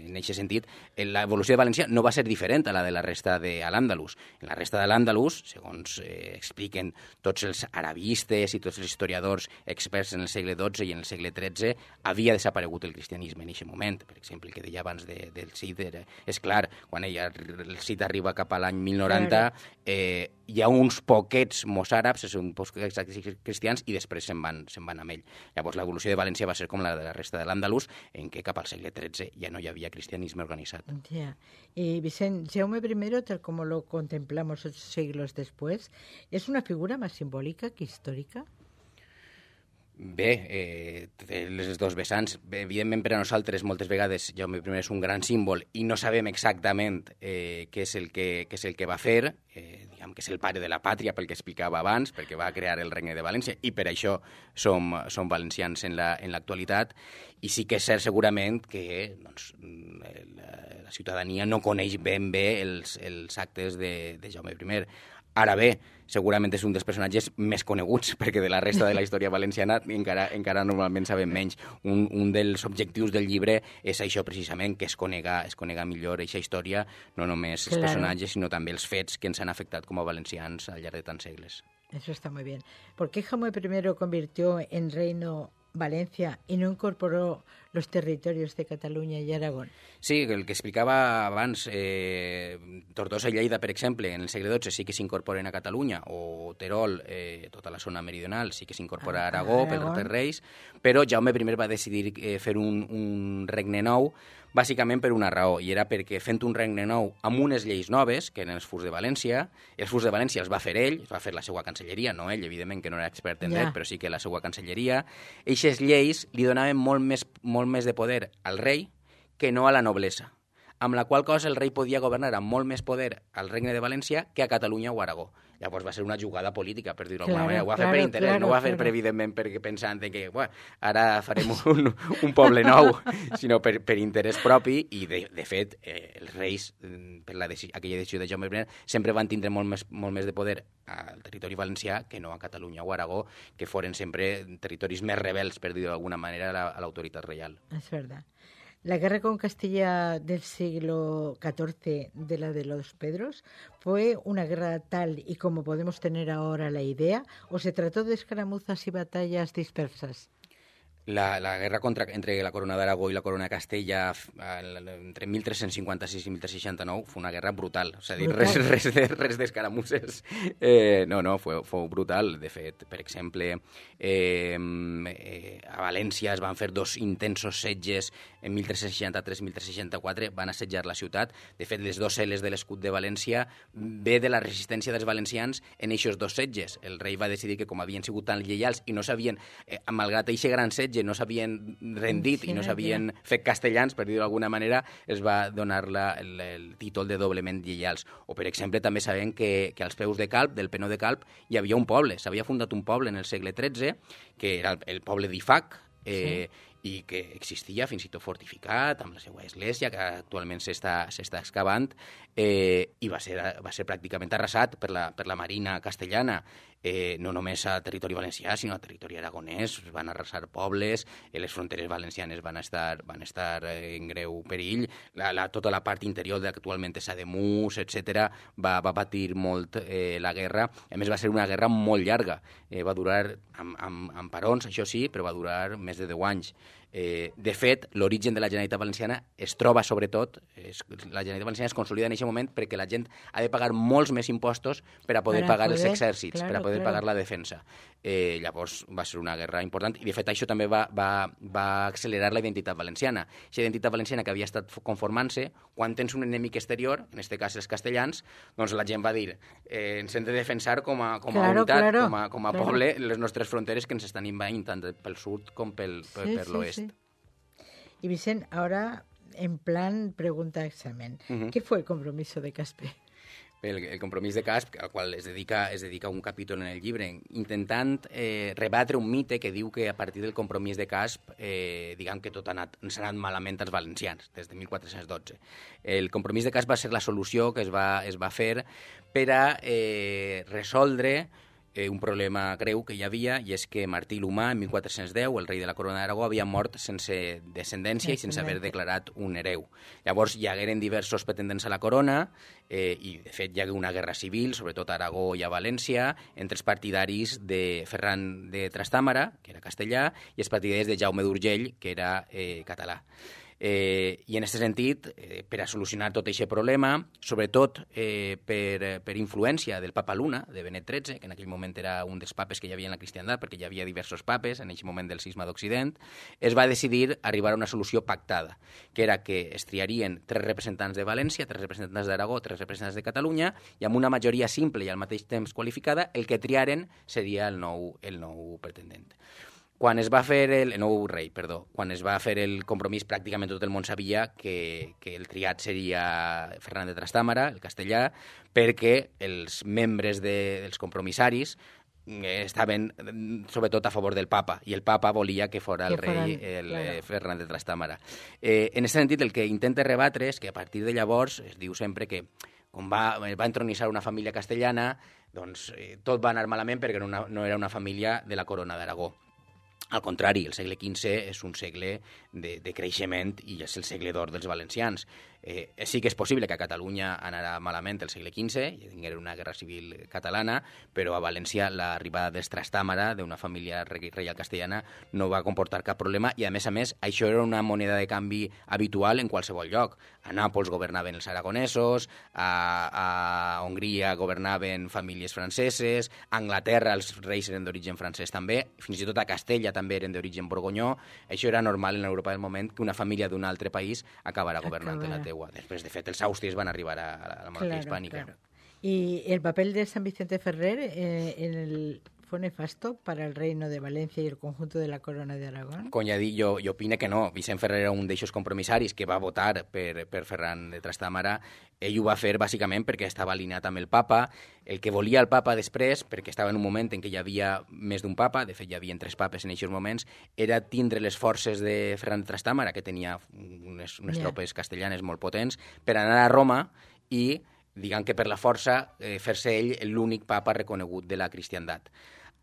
En aquest sentit, l'evolució de València no va ser diferent a la de la resta de l'Àndalus. En la resta de l'Àndalus, segons expliquen tots els arabistes i tots els historiadors experts en el segle XII i en el segle XIII, havia desaparegut el cristianisme en aquest moment. Per exemple, el que deia abans del Cid, és clar, quan el Cid arriba cap a l'any 1090, hi ha uns poquets mossàrabs, uns poquets cristians, i després se'n van amb ell. Llavors, l'evolució de València va ser com la de la resta de l'Àndalus, en què cap al segle XIII ja no hi havia cristianisme organizado. Ya. Y Vicente, Jaume I, tal como lo contemplamos 8 siglos después, ¿es una figura más simbólica que histórica? Bé, té les dos vessants. Evidentment, per a nosaltres, moltes vegades, Jaume I és un gran símbol i no sabem exactament què és el que va fer, diguem que és el pare de la pàtria, pel que explicava abans, perquè va crear el Regne de València, i per això som valencians en l'actualitat. I sí que és cert, segurament, que la ciutadania no coneix ben bé els actes de Jaume I. Ara bé, segurament és un dels personatges més coneguts, perquè de la resta de la història valenciana encara normalment sabem menys. Un dels objectius del llibre és això precisament, que es conega millor aquesta història, no només els personatges, sinó també els fets que ens han afectat com a valencians al llarg de tants segles. Eso está muy bien. ¿Por qué Jaume I convirtió en reino Valencia y no incorporó los territorios de Cataluña y Aragón? Sí, el que explicava abans, Tortosa i Lleida, per exemple, en el segle XII sí que s'incorporen a Catalunya, o Terol, tota la zona meridional, sí que s'incorpora a Aragó per reis, però Jaume I va decidir fer un regne nou, bàsicament per una raó, i era perquè fent un regne nou amb unes lleis noves, que eren els Furs de València, els Furs de València els va fer ell, els va fer la seva cancelleria, no ell, evidentment, que no era expert en dret, però sí que la seva cancelleria. Eixes lleis li donaven molt més de poder al rei que no a la noblesa. amb la qual cosa el rei podia governar amb molt més poder al Regne de València que a Catalunya o Aragó. Llavors va ser una jugada política, per dir-ho d'alguna manera. Ho va fer per interès, no ho va fer evidentment perquè pensant que ara farem un poble nou, sinó per interès propi, i de fet els reis, per aquella decisió de Jaume I, sempre van tindre molt més de poder al territori valencià que no a Catalunya o Aragó, que foren sempre territoris més rebels, per dir-ho d'alguna manera, a l'autoritat reial. Es verdad. La guerra con Castilla del siglo XIV, de la de los Pedros, ¿fue una guerra tal y como podemos tener ahora la idea, o se trató de escaramuzas y batallas dispersas? La guerra entre la corona d'Aragó i la corona de Castella entre 1356 i 1369 fue una guerra brutal. O sigui, res d'escaramusses. No, fou brutal. De fet, per exemple, a València es van fer 2 intensos setges en 1363 i 1364, van assetjar la ciutat. De fet, les 2 L's de l'escut de València ve de la resistència dels valencians en eixos 2 setges. El rei va decidir que, com havien sigut tan lleials i no s'havien, malgrat aquest gran setge, no s'havien rendit i no s'havien fet castellans, per dir-ho d'alguna manera, es va donar el títol de doblement lleials. O, per exemple, també sabem que als peus de Calp, del Penó de Calp, hi havia un poble. S'havia fundat un poble en el segle XIII, que era el poble d'Ifac, i que existia fins i tot fortificat, amb la seva església, que actualment s'està excavant, i va ser pràcticament arrasat per la marina castellana, no només a territori valencià, sinó a territori aragonès. Es van arrasar pobles, les fronteres valencianes van estar en greu perill, tota la part interior que actualment és Ademús, etc., va patir molt la guerra. A més, va ser una guerra molt llarga. Va durar amb parons, això sí, però va durar més de 10 anys. De fet, l'origen de la Generalitat Valenciana es troba, sobretot, la Generalitat Valenciana es consolida en aquest moment perquè la gent ha de pagar molts més impostos per a poder pagar els exèrcits, per a poder pagar la defensa. Llavors va ser una guerra important i, de fet, això també va accelerar la identitat valenciana. Aquesta identitat valenciana que havia estat conformant-se, quan tens un enemic exterior, en aquest cas els castellans, doncs la gent va dir ens hem de defensar com a unitat, com a poble, les nostres fronteres que ens estan invadint tant pel sud com per l'oest. Y Vicent, ahora en plan pregunta examen. ¿Qué fue el compromiso de Caspe? El compromís de Casp, al qual es dedica un capítol en el llibre, intentant rebatre un mite que diu que a partir del compromís de Casp, diguem que tot ens ha anat malament als valencians, des de 1412. El compromís de Casp va ser la solució que es va fer per a resoldre un problema greu que hi havia, i és que Martí l'Humà, en 1410, el rei de la corona d'Aragó, havia mort sense descendència i sense haver declarat un hereu. Llavors hi hagueren diversos pretendents a la corona i, de fet, hi hagué una guerra civil, sobretot a Aragó i a València, entre els partidaris de Ferran de Trastàmara, que era castellà, i els partidaris de Jaume d'Urgell, que era català. I en aquest sentit, per a solucionar tot aquest problema, sobretot per influència del papa Luna, de Benet XIII, que en aquell moment era un dels papes que hi havia en la cristiandat, perquè hi havia diversos papes en aquell moment del cisma d'Occident, es va decidir arribar a una solució pactada, que era que es triarien 3 representants de València, 3 representants d'Aragó, 3 representants de Catalunya, i amb una majoria simple i al mateix temps qualificada, el que triaren seria el nou pretendent. Quan es va fer quan es va fer el compromís, pràcticament tot el món sabia que el triat seria Ferran de Trastàmara, el castellà, perquè els membres dels compromissaris estaven sobretot a favor del papa, i el papa volia que fora el rei Ferran de Trastàmara. En aquest sentit, el que intenta rebatre és que a partir de llavors es diu sempre que quan va entronitzar una família castellana, doncs tot va anar malament perquè no era una família de la corona d'Aragó. Al contrari, el segle XV és un segle de creixement i és el segle d'or dels valencians. Sí que és possible que a Catalunya anarà malament el segle XV, hi tinguera una guerra civil catalana, però a València l'arribada dels Trastàmara, d'una família reial castellana, no va comportar cap problema, i a més, això era una moneda de canvi habitual en qualsevol lloc. A Nàpols governaven els aragonesos, a Hongria governaven famílies franceses, a Anglaterra els reis eren d'origen francès també, fins i tot a Castella també eren d'origen borgonyó. Això era normal en Europa del moment, que una família d'un altre país acabara governant la teua. Després, de fet, els àustries van arribar a la monarquia hispànica. Claro. ¿Y el papel de San Vicente Ferrer fue nefasto para el reino de Valencia y el conjunto de la corona de Aragón? Com ja dic, jo opino que no. Vicent Ferrer era un d'eixos compromissaris que va votar per Ferran de Trastámara. Ell ho va fer bàsicament perquè estava alineat amb el papa. El que volia el papa després, perquè estava en un moment en què hi havia més d'un papa, de fet hi havia 3 papes en aquests moments, era tindre les forces de Ferran de Trastámara, que tenia unes tropes castellanes molt potents, per anar a Roma i, diguem que per la força, fer-se ell l'únic papa reconegut de la cristiandat.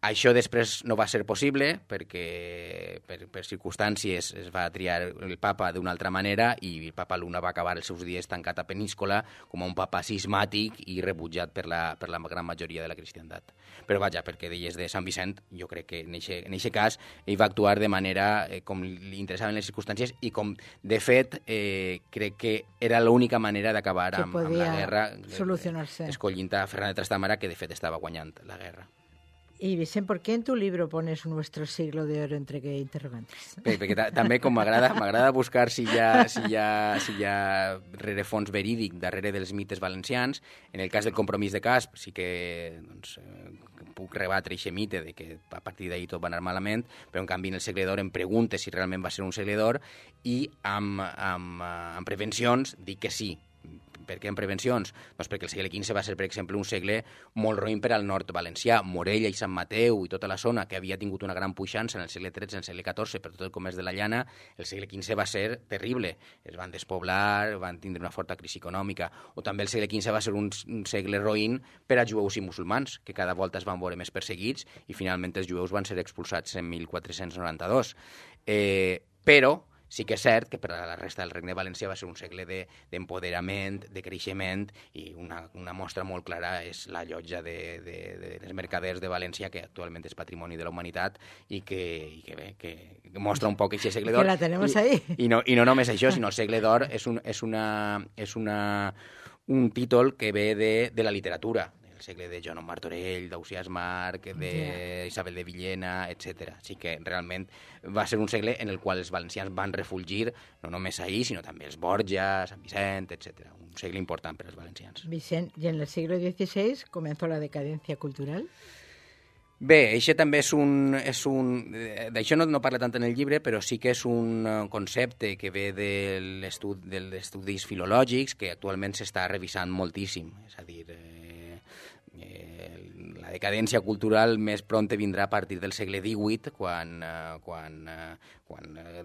Això després no va ser possible perquè per circumstàncies es va triar el papa d'una altra manera i el papa Luna va acabar els seus dies tancat a Peníscola com a un papa cismàtic i rebutjat per la gran majoria de la cristiandat. Però vaja, perquè deies de Sant Vicent, jo crec que en aquest cas ell va actuar de manera com li interessaven les circumstàncies i com, de fet, crec que era l'única manera d'acabar amb la guerra, escollint a Ferran de Trastámara, que de fet estava guanyant la guerra. Y Vicent, ¿por qué en tu libro pones nuestro siglo de oro entre interrogantes? Perquè també com m'agrada buscar si hi ha rerefons verídic darrere dels mites valencians. En el cas del compromís de Casp sí que puc rebatre aquest mite de que a partir d'ahir tot va anar malament, però en canvi en el segle d'or em pregunte si realment va ser un segle d'or i amb prevencions dic que sí. Per què en prevencions? Doncs perquè el segle XV va ser, per exemple, un segle molt roïn per al nord valencià. Morella i Sant Mateu i tota la zona, que havia tingut una gran puixança en el segle XIII, en el segle XIV, per tot el comerç de la llana, el segle XV va ser terrible. Es van despoblar, van tindre una forta crisi econòmica. O també el segle XV va ser un segle roïn per a jueus i musulmans, que cada volta es van veure més perseguits i finalment els jueus van ser expulsats en 1492. Però sí que és cert que per a la resta del Regne Valencià va ser un segle d'empoderament, de creixement, i una mostra molt clara és la llotja dels mercaders de València, que actualment és patrimoni de la humanitat i que mostra un poc aquest segle d'or. Que la tenemos ahí. I no només això, sinó el segle d'or és un títol que ve de la literatura, segle de Joan Martorell, d'Ausiàs Marc, d'Isabel de Villena, etc. Així que realment va ser un segle en el qual els valencians van refulgir no només ahir, sinó també els Borja, Sant Vicent, etc. Un segle important per als valencians. Vicent, ¿y en el siglo XVI comenzó la decadencia cultural? Bé, això també d'això no parla tant en el llibre, però sí que és un concepte que ve dels estudis filològics que actualment s'està revisant moltíssim. És a dir, la decadència cultural més prompte vindrà a partir del segle XVIII, quan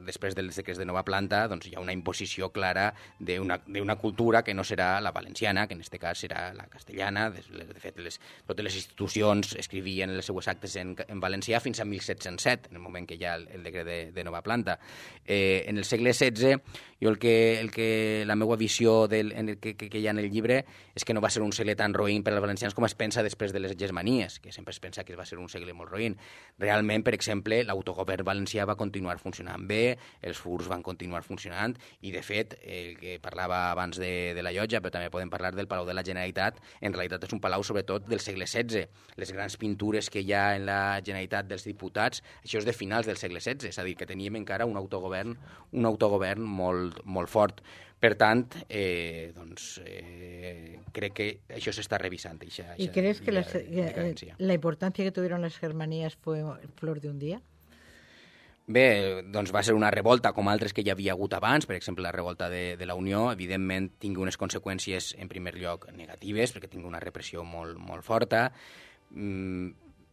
després dels decrets de nova planta doncs hi ha una imposició clara d'una cultura que no serà la valenciana, que en aquest cas serà la castellana. De fet, totes les institucions escrivien els seus actes en valencià fins a 1707, en el moment que hi ha el decret de nova planta. En el segle XVI, jo la meva visió que hi ha en el llibre és que no va ser un segle tan roïn per als valencians com es pensa després de les hegemonies, que sempre es pensa que va ser un segle molt roïn. Realment, per exemple, l'autogovern valencià va continuar funcionant bé, els furs van continuar funcionant i, de fet, el que parlava abans de la llotja, però també podem parlar del Palau de la Generalitat, en realitat és un palau sobretot del segle XVI. Les grans pintures que hi ha en la Generalitat dels diputats, això és de finals del segle XVI, és a dir, que teníem encara un autogovern molt fort. Per tant, crec que això s'està revisant. ¿Y crees que la importancia que tuvieron las germanías fue flor de un día? Bé, doncs va ser una revolta com altres que hi havia hagut abans, per exemple la revolta de la Unió, evidentment tingui unes conseqüències en primer lloc negatives, perquè tingui una repressió molt forta,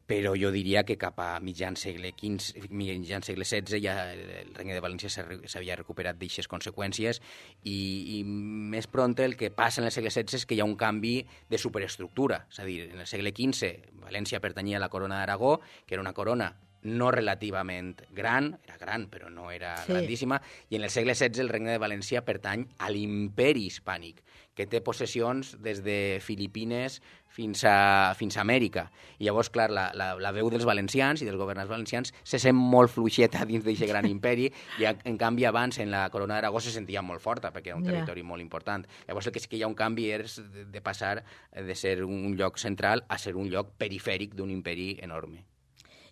però jo diria que cap a mitjan segle XVI ja el Regne de València s'havia recuperat d'aquestes conseqüències i més pront el que passa en el segle XVI és que hi ha un canvi de superestructura. És a dir, en el segle XV València pertanyia a la corona d'Aragó, que era una corona no relativament gran, era gran però no era grandíssima, i en el segle XVI el Regne de València pertany a l'imperi hispànic, que té possessions des de Filipines fins a Amèrica. I llavors, clar, la veu dels valencians i dels governants valencians se sent molt fluixeta dins d'aquest gran imperi i, en canvi, abans en la corona d'Aragó se sentia molt forta perquè era un territori molt important. Llavors, el que sí que hi ha un canvi és de passar de ser un lloc central a ser un lloc perifèric d'un imperi enorme.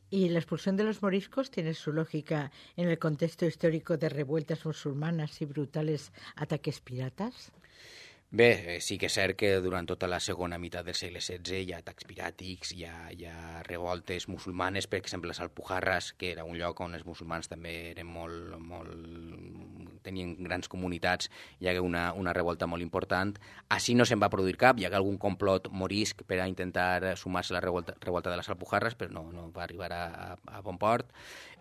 ¿Y la expulsión de los moriscos tiene su lógica en el contexto histórico de revueltas musulmanas y brutales ataques piratas? Bé, sí que és cert que durant tota la segona meitat del segle XVI hi ha atacs piràtics, hi ha revoltes musulmanes, per exemple, les Alpujarras, que era un lloc on els musulmans també eren tenien grans comunitats, hi hagué una revolta molt important. Així no se'n va produir cap, hi hagué algun complot morisc per a intentar sumar-se a la revolta de les Alpujarras, però no va arribar a bon port.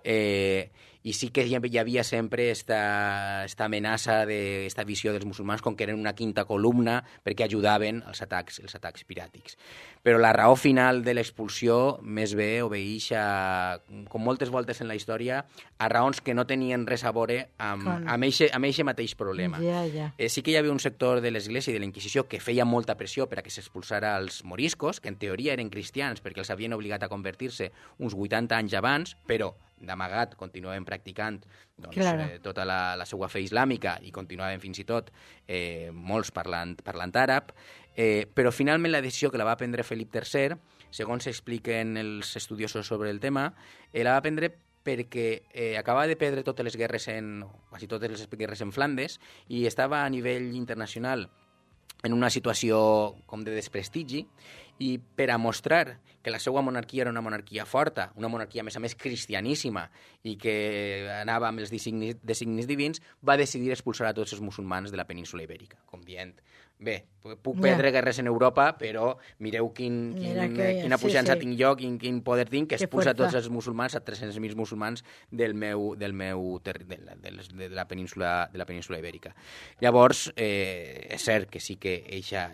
I sí que hi havia sempre esta amenaça, esta visió dels musulmans com que eren una quinta columna perquè ajudaven els atacs piràtics. Però la raó final de l'expulsió més bé obeeix com moltes voltes en la història, a raons que no tenien res a veure amb eixe mateix problema. Sí que hi havia un sector de l'Església i de la Inquisició que feia molta pressió per a que s'expulsara els moriscos, que en teoria eren cristians perquè els havien obligat a convertir-se uns 80 anys abans, però d'amagat continuaven practicant tota la seva fe islàmica i continuaven fins i tot molts parlant àrab, però finalment la decisió que la va prendre Felip III, segons s'expliquen els estudiosos sobre el tema, la va prendre perquè acabava de perdre totes les guerres quasi totes les guerres en Flandes i estava a nivell internacional en una situació com de desprestigi, i per a mostrar que la seva monarquia era una monarquia forta, una monarquia, a més, cristianíssima, i que anava amb els designis divins, va decidir expulsar a tots els musulmans de la península Ibèrica, com dient, bé, puc perdre guerres en Europa, però mireu quina puixança tinc jo, quin poder tinc, que expulsa tots els musulmans, a 300.000 musulmans de la península Ibèrica. Llavors, és cert que sí que eixa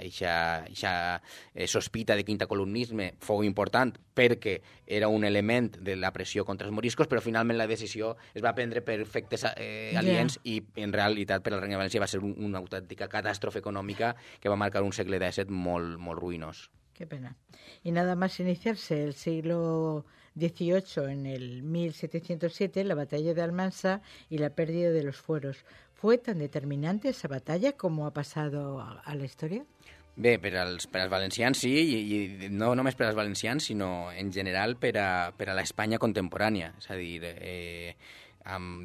sospita de quintacolumnisme fou important perquè era un element de la pressió contra els moriscos, però finalment la decisió es va prendre per efectes aliens i en realitat per al Regne de València va ser una autèntica catàstrofe econòmica que va marcar un segle XVII molt ruïnós. Qué pena. Y nada más iniciarse el siglo XVIII, en el 1707, la batalla de Almansa y la pérdida de los fueros. ¿Fue tan determinante esa batalla como ha pasado a la historia? Bé, per als valencians sí, i no només per als valencians, sinó en general per a l'Espanya contemporània. És a dir,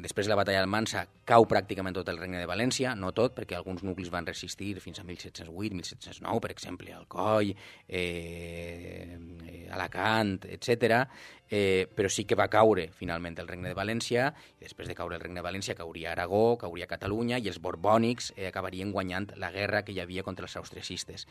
després de la batalla d'Almansa cau pràcticament tot el Regne de València, no tot, perquè alguns nuclis van resistir fins a 1708, 1709, per exemple, Alcoi, Alacant, etc. Però sí que va caure finalment el Regne de València, i després de caure el Regne de València cauria Aragó, cauria Catalunya, i els borbònics acabarien guanyant la guerra que hi havia contra els austriacistes.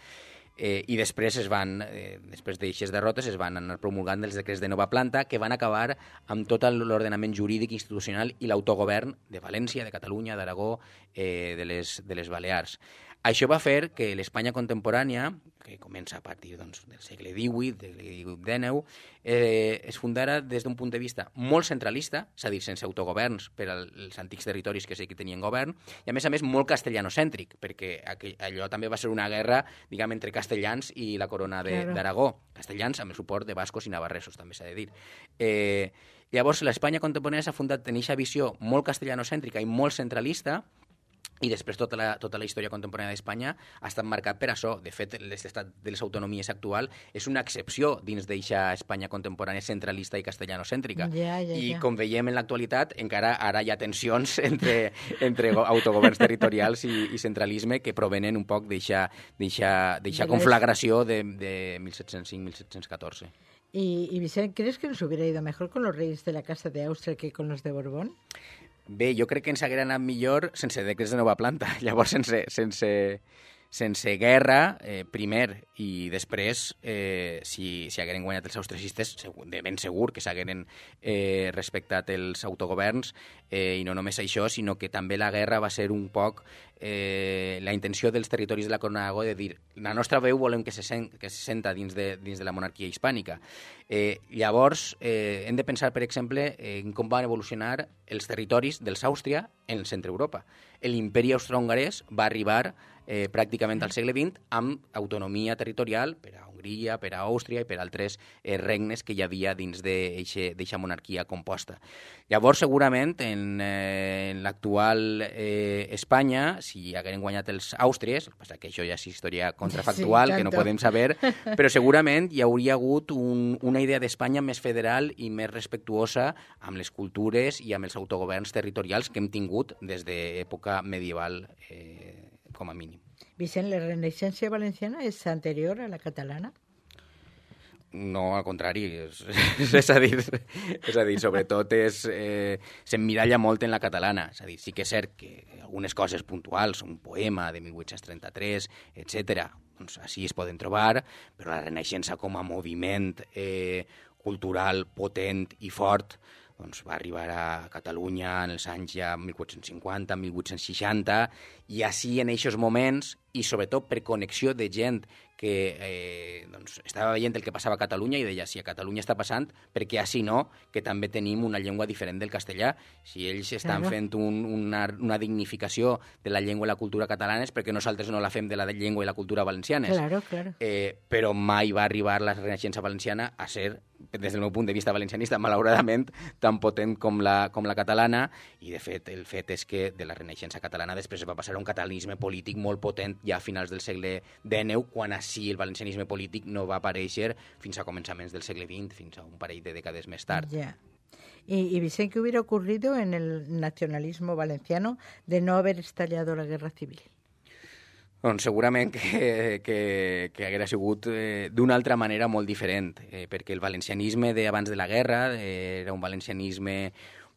I després després d'aixes derrotes es van anar promulgant els decrets de nova planta que van acabar amb tot l'ordenament jurídic institucional i l'autogovern de València, de Catalunya, d'Aragó, de les Balears. Això va fer que l'Espanya contemporània, que comença a partir del segle XVIII, del XIX, es fundara des d'un punt de vista molt centralista, és a dir, sense autogoverns per als antics territoris que sí que tenien govern, i a més molt castellanocèntric, perquè allò també va ser una guerra, diguem, entre castellans i la corona d'Aragó. Castellans amb el suport de bascos i navarresos, també s'ha de dir. Llavors, l'Espanya contemporània s'ha fundat en aquesta visió molt castellanocèntrica i molt centralista, i després tota la història contemporània d'Espanya ha estat marcat per això. De fet, l'estat de les autonomies actual és una excepció dins d'eixa Espanya contemporània centralista i castellanocèntrica. I com veiem en l'actualitat, encara ara hi ha tensions entre autogoverns territorials i centralisme que provenen un poc d'eixa conflagració de 1705-1714. Y Vicente, ¿crees que nos hubiera ido mejor con los reyes de la Casa de Austria que con los de Borbón? Bé, jo crec que ens haguera anat millor sense decrets de nova planta. Llavors, sense guerra, primer, i després, si hagueren guanyat els austriacistes, de ben segur que s'hagueren respectat els autogoverns, i no només això, sinó que també la guerra va ser un poc la intenció dels territoris de la Corona d'Aragó de dir la nostra veu volem que se senta dins de la monarquia hispànica. Llavors, hem de pensar, per exemple, en com van evolucionar els territoris dels Àustria en el centre Europa. L'imperi austrohongarès va arribar pràcticament al segle XX amb autonomia territorial per a Hongria, per a Àustria i per a altres regnes que hi havia dins d'eixa monarquia composta. Llavors, segurament, en l'actual Espanya, si hagueren guanyat els àustries, el que passa que això ja és història contrafactual, que no podem saber, però segurament hi hauria hagut una idea d'Espanya més federal i més respectuosa amb les cultures i amb els autogoverns territorials que hem tingut des d'època medieval, com a mínim. Vicent, la Renaixença valenciana és anterior a la catalana? No, al contrari, és a dir, sobretot s'emmiralla molt en la catalana. És a dir, sí que és cert que algunes coses puntuals, un poema de 1833, etc., doncs així es poden trobar, però la Renaixença com a moviment cultural potent i fort doncs va arribar a Catalunya en els anys ja 1850, 1860, i així en aquests moments, i sobretot per connexió de gent que doncs, estava veient el que passava a Catalunya i deia, si a Catalunya està passant, perquè així no, que també tenim una llengua diferent del castellà. Si ells estan fent una dignificació de la llengua i la cultura catalanes, perquè nosaltres no la fem de la llengua i la cultura valencianes. Claro. Però mai va arribar la Renaixença valenciana a ser, des del meu punt de vista valencianista, malauradament, tan potent com la catalana, i de fet el fet és que de la Renaixença catalana després va passar a un catalanisme polític molt potent ja a finals del segle XIX, quan així el valencianisme polític no va aparèixer fins a començaments del segle XX, fins a un parell de dècades més tard. Ya. Y Vicente, ¿qué hubiera ocurrido en el nacionalismo valenciano de no haber estallado la guerra civil? Doncs segurament que haguera sigut d'una altra manera molt diferent, perquè el valencianisme d'abans de la guerra era un valencianisme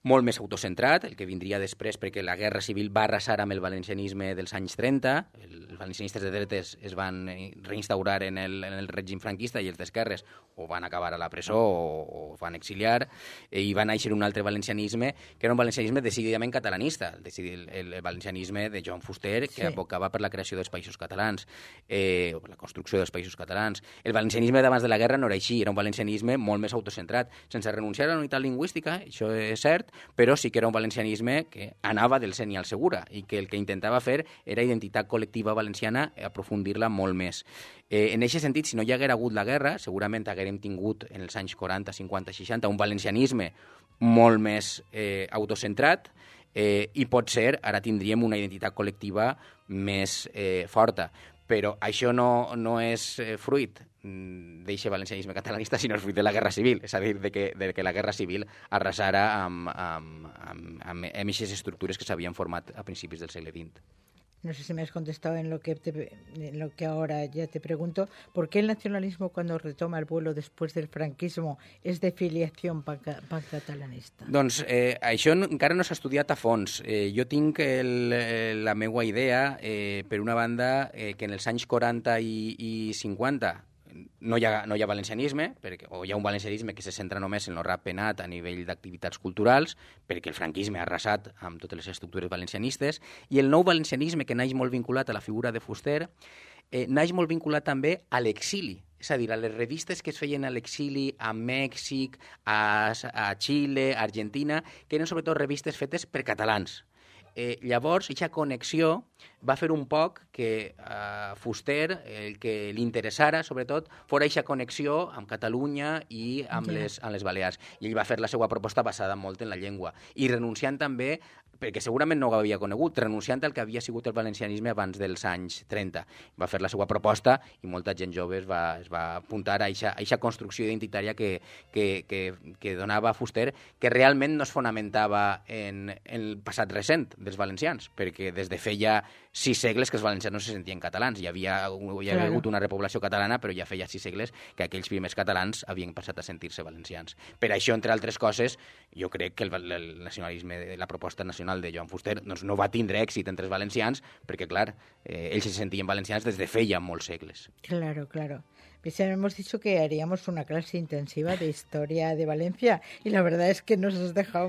molt més autocentrat, el que vindria després, perquè la guerra civil va arrasar amb el valencianisme dels anys 30, els valencianistes de dretes es van reinstaurar en el règim franquista i els d'esquerres o van acabar a la presó o van exiliar, i va néixer un altre valencianisme, que era un valencianisme decididament catalanista, el valencianisme de Joan Fuster, que abocava per la creació dels països catalans, o per la construcció dels països catalans. El valencianisme d'abans de la guerra no era així, era un valencianisme molt més autocentrat, sense renunciar a la unitat lingüística, això és cert, però sí que era un valencianisme que anava del seny al segura i que el que intentava fer era identitat col·lectiva valenciana, aprofundir-la molt més. En aquest sentit, si no hi haguera hagut la guerra, segurament haguérem tingut en els anys 40, 50, 60 un valencianisme molt més autocentrat, i potser ara tindríem una identitat col·lectiva més forta. Però això no és fruit d'eixe valencianisme catalanista, sinó és fruit de la Guerra Civil, és a dir, de que la Guerra Civil arrasara amb eixes estructures que s'havien format a principis del segle XX. No sé si me has contestado en lo que ahora ya te pregunto. ¿Por qué el nacionalismo, cuando retoma el vuelo después del franquismo, es de filiación pancatalanista? Doncs això encara no s'ha estudiat a fons. Jo tinc la meva idea, per una banda, que en els anys 40 i 50 no hi ha valencianisme, o hi ha un valencianisme que se centra només en el rap penat a nivell d'activitats culturals, perquè el franquisme ha arrasat amb totes les estructures valencianistes, i el nou valencianisme, que naix molt vinculat a la figura de Fuster, naix molt vinculat també a l'exili. És a dir, a les revistes que es feien a l'exili, a Mèxic, a Xile, a Argentina, que eren sobretot revistes fetes per catalans. Llavors, aquesta connexió va fer un poc que Fuster, el que li interessara, sobretot, fora aquesta connexió amb Catalunya i amb les Balears. I ell va fer la seva proposta basada molt en la llengua. I renunciant també, perquè segurament no ho havia conegut, renunciant al que havia sigut el valencianisme abans dels anys 30. Va fer la seva proposta i molta gent jove es va apuntar a aquesta construcció identitària que donava Fuster, que realment no es fonamentava en el passat recent dels valencians, perquè des de feia 6 segles que els valencians no se sentien catalans. Hi havia hagut una repoblació catalana, però ja feia 6 segles que aquells primers catalans havien passat a sentir-se valencians. Per això, entre altres coses, jo crec que el nacionalisme, la proposta nacional de Joan Fuster, doncs no va tindre èxit entre els valencians, perquè, clar, ells se sentien valencians des de feia molts segles. Claro. Hemos dicho que haríamos una clase intensiva de historia de Valencia y la verdad es que nos has dejado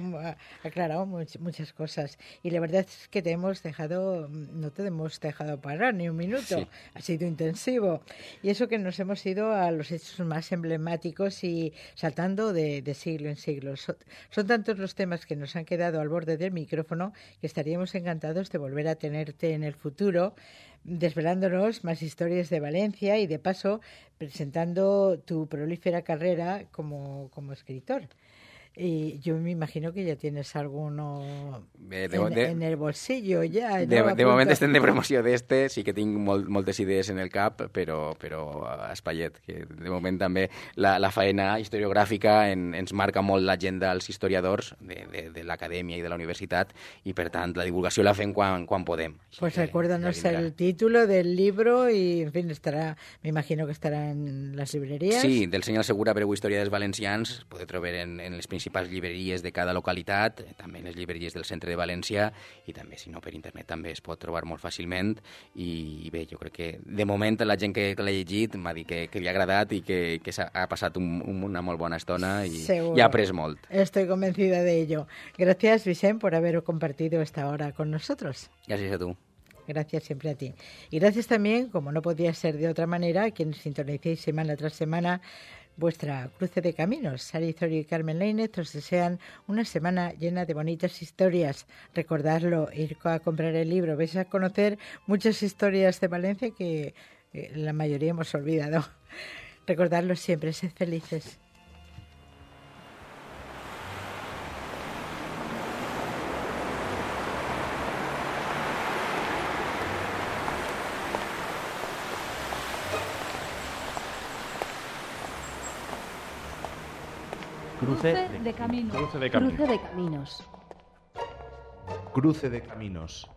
aclarado muchas cosas y la verdad es que no te hemos dejado parar ni un minuto, sí. Ha sido intensivo y eso que nos hemos ido a los hechos más emblemáticos y saltando de siglo en siglo. Son tantos los temas que nos han quedado al borde del micrófono que estaríamos encantados de volver a tenerte en el futuro, desvelándonos más historias de Valencia y de paso presentando tu prolífera carrera como escritor. Y yo me imagino que ya tienes alguno en el bolsillo ja. De moment estem de promoció d'este, sí que tinc moltes idees en el cap, però espaiet, que de moment també la faena historiogràfica ens marca molt l'agenda als historiadors de l'acadèmia i de la universitat, i per tant la divulgació la fem quan podem. Pues recuérdanos el título del libro y, en fin, me imagino que estará en las librerías. Sí, del senyor Segura, Breu Història dels Valencians, podeu trobar en les principals llibreries de cada localitat, també en les llibreries del centre de València, i també, si no, per internet també es pot trobar molt fàcilment. I bé, jo crec que de moment la gent que l'ha llegit m'ha dit que li ha agradat i que ha passat una molt bona estona i ha après molt. Estoy convencida de ello. Gracias, Vicent, por haber compartido esta hora con nosotros. Gràcies a tu. Gracias siempre a ti. Y gracias también, como no podía ser de otra manera, a quienes sintonicéis semana tras semana vuestra Cruce de Caminos. Sara Itorio y Carmen Lainez os desean una semana llena de bonitas historias. Recordadlo, ir a comprar el libro. Vais a conocer muchas historias de Valencia que la mayoría hemos olvidado. Recordadlo siempre, sed felices. Cruce de caminos. Cruce de caminos. Cruce de caminos. Cruce de caminos.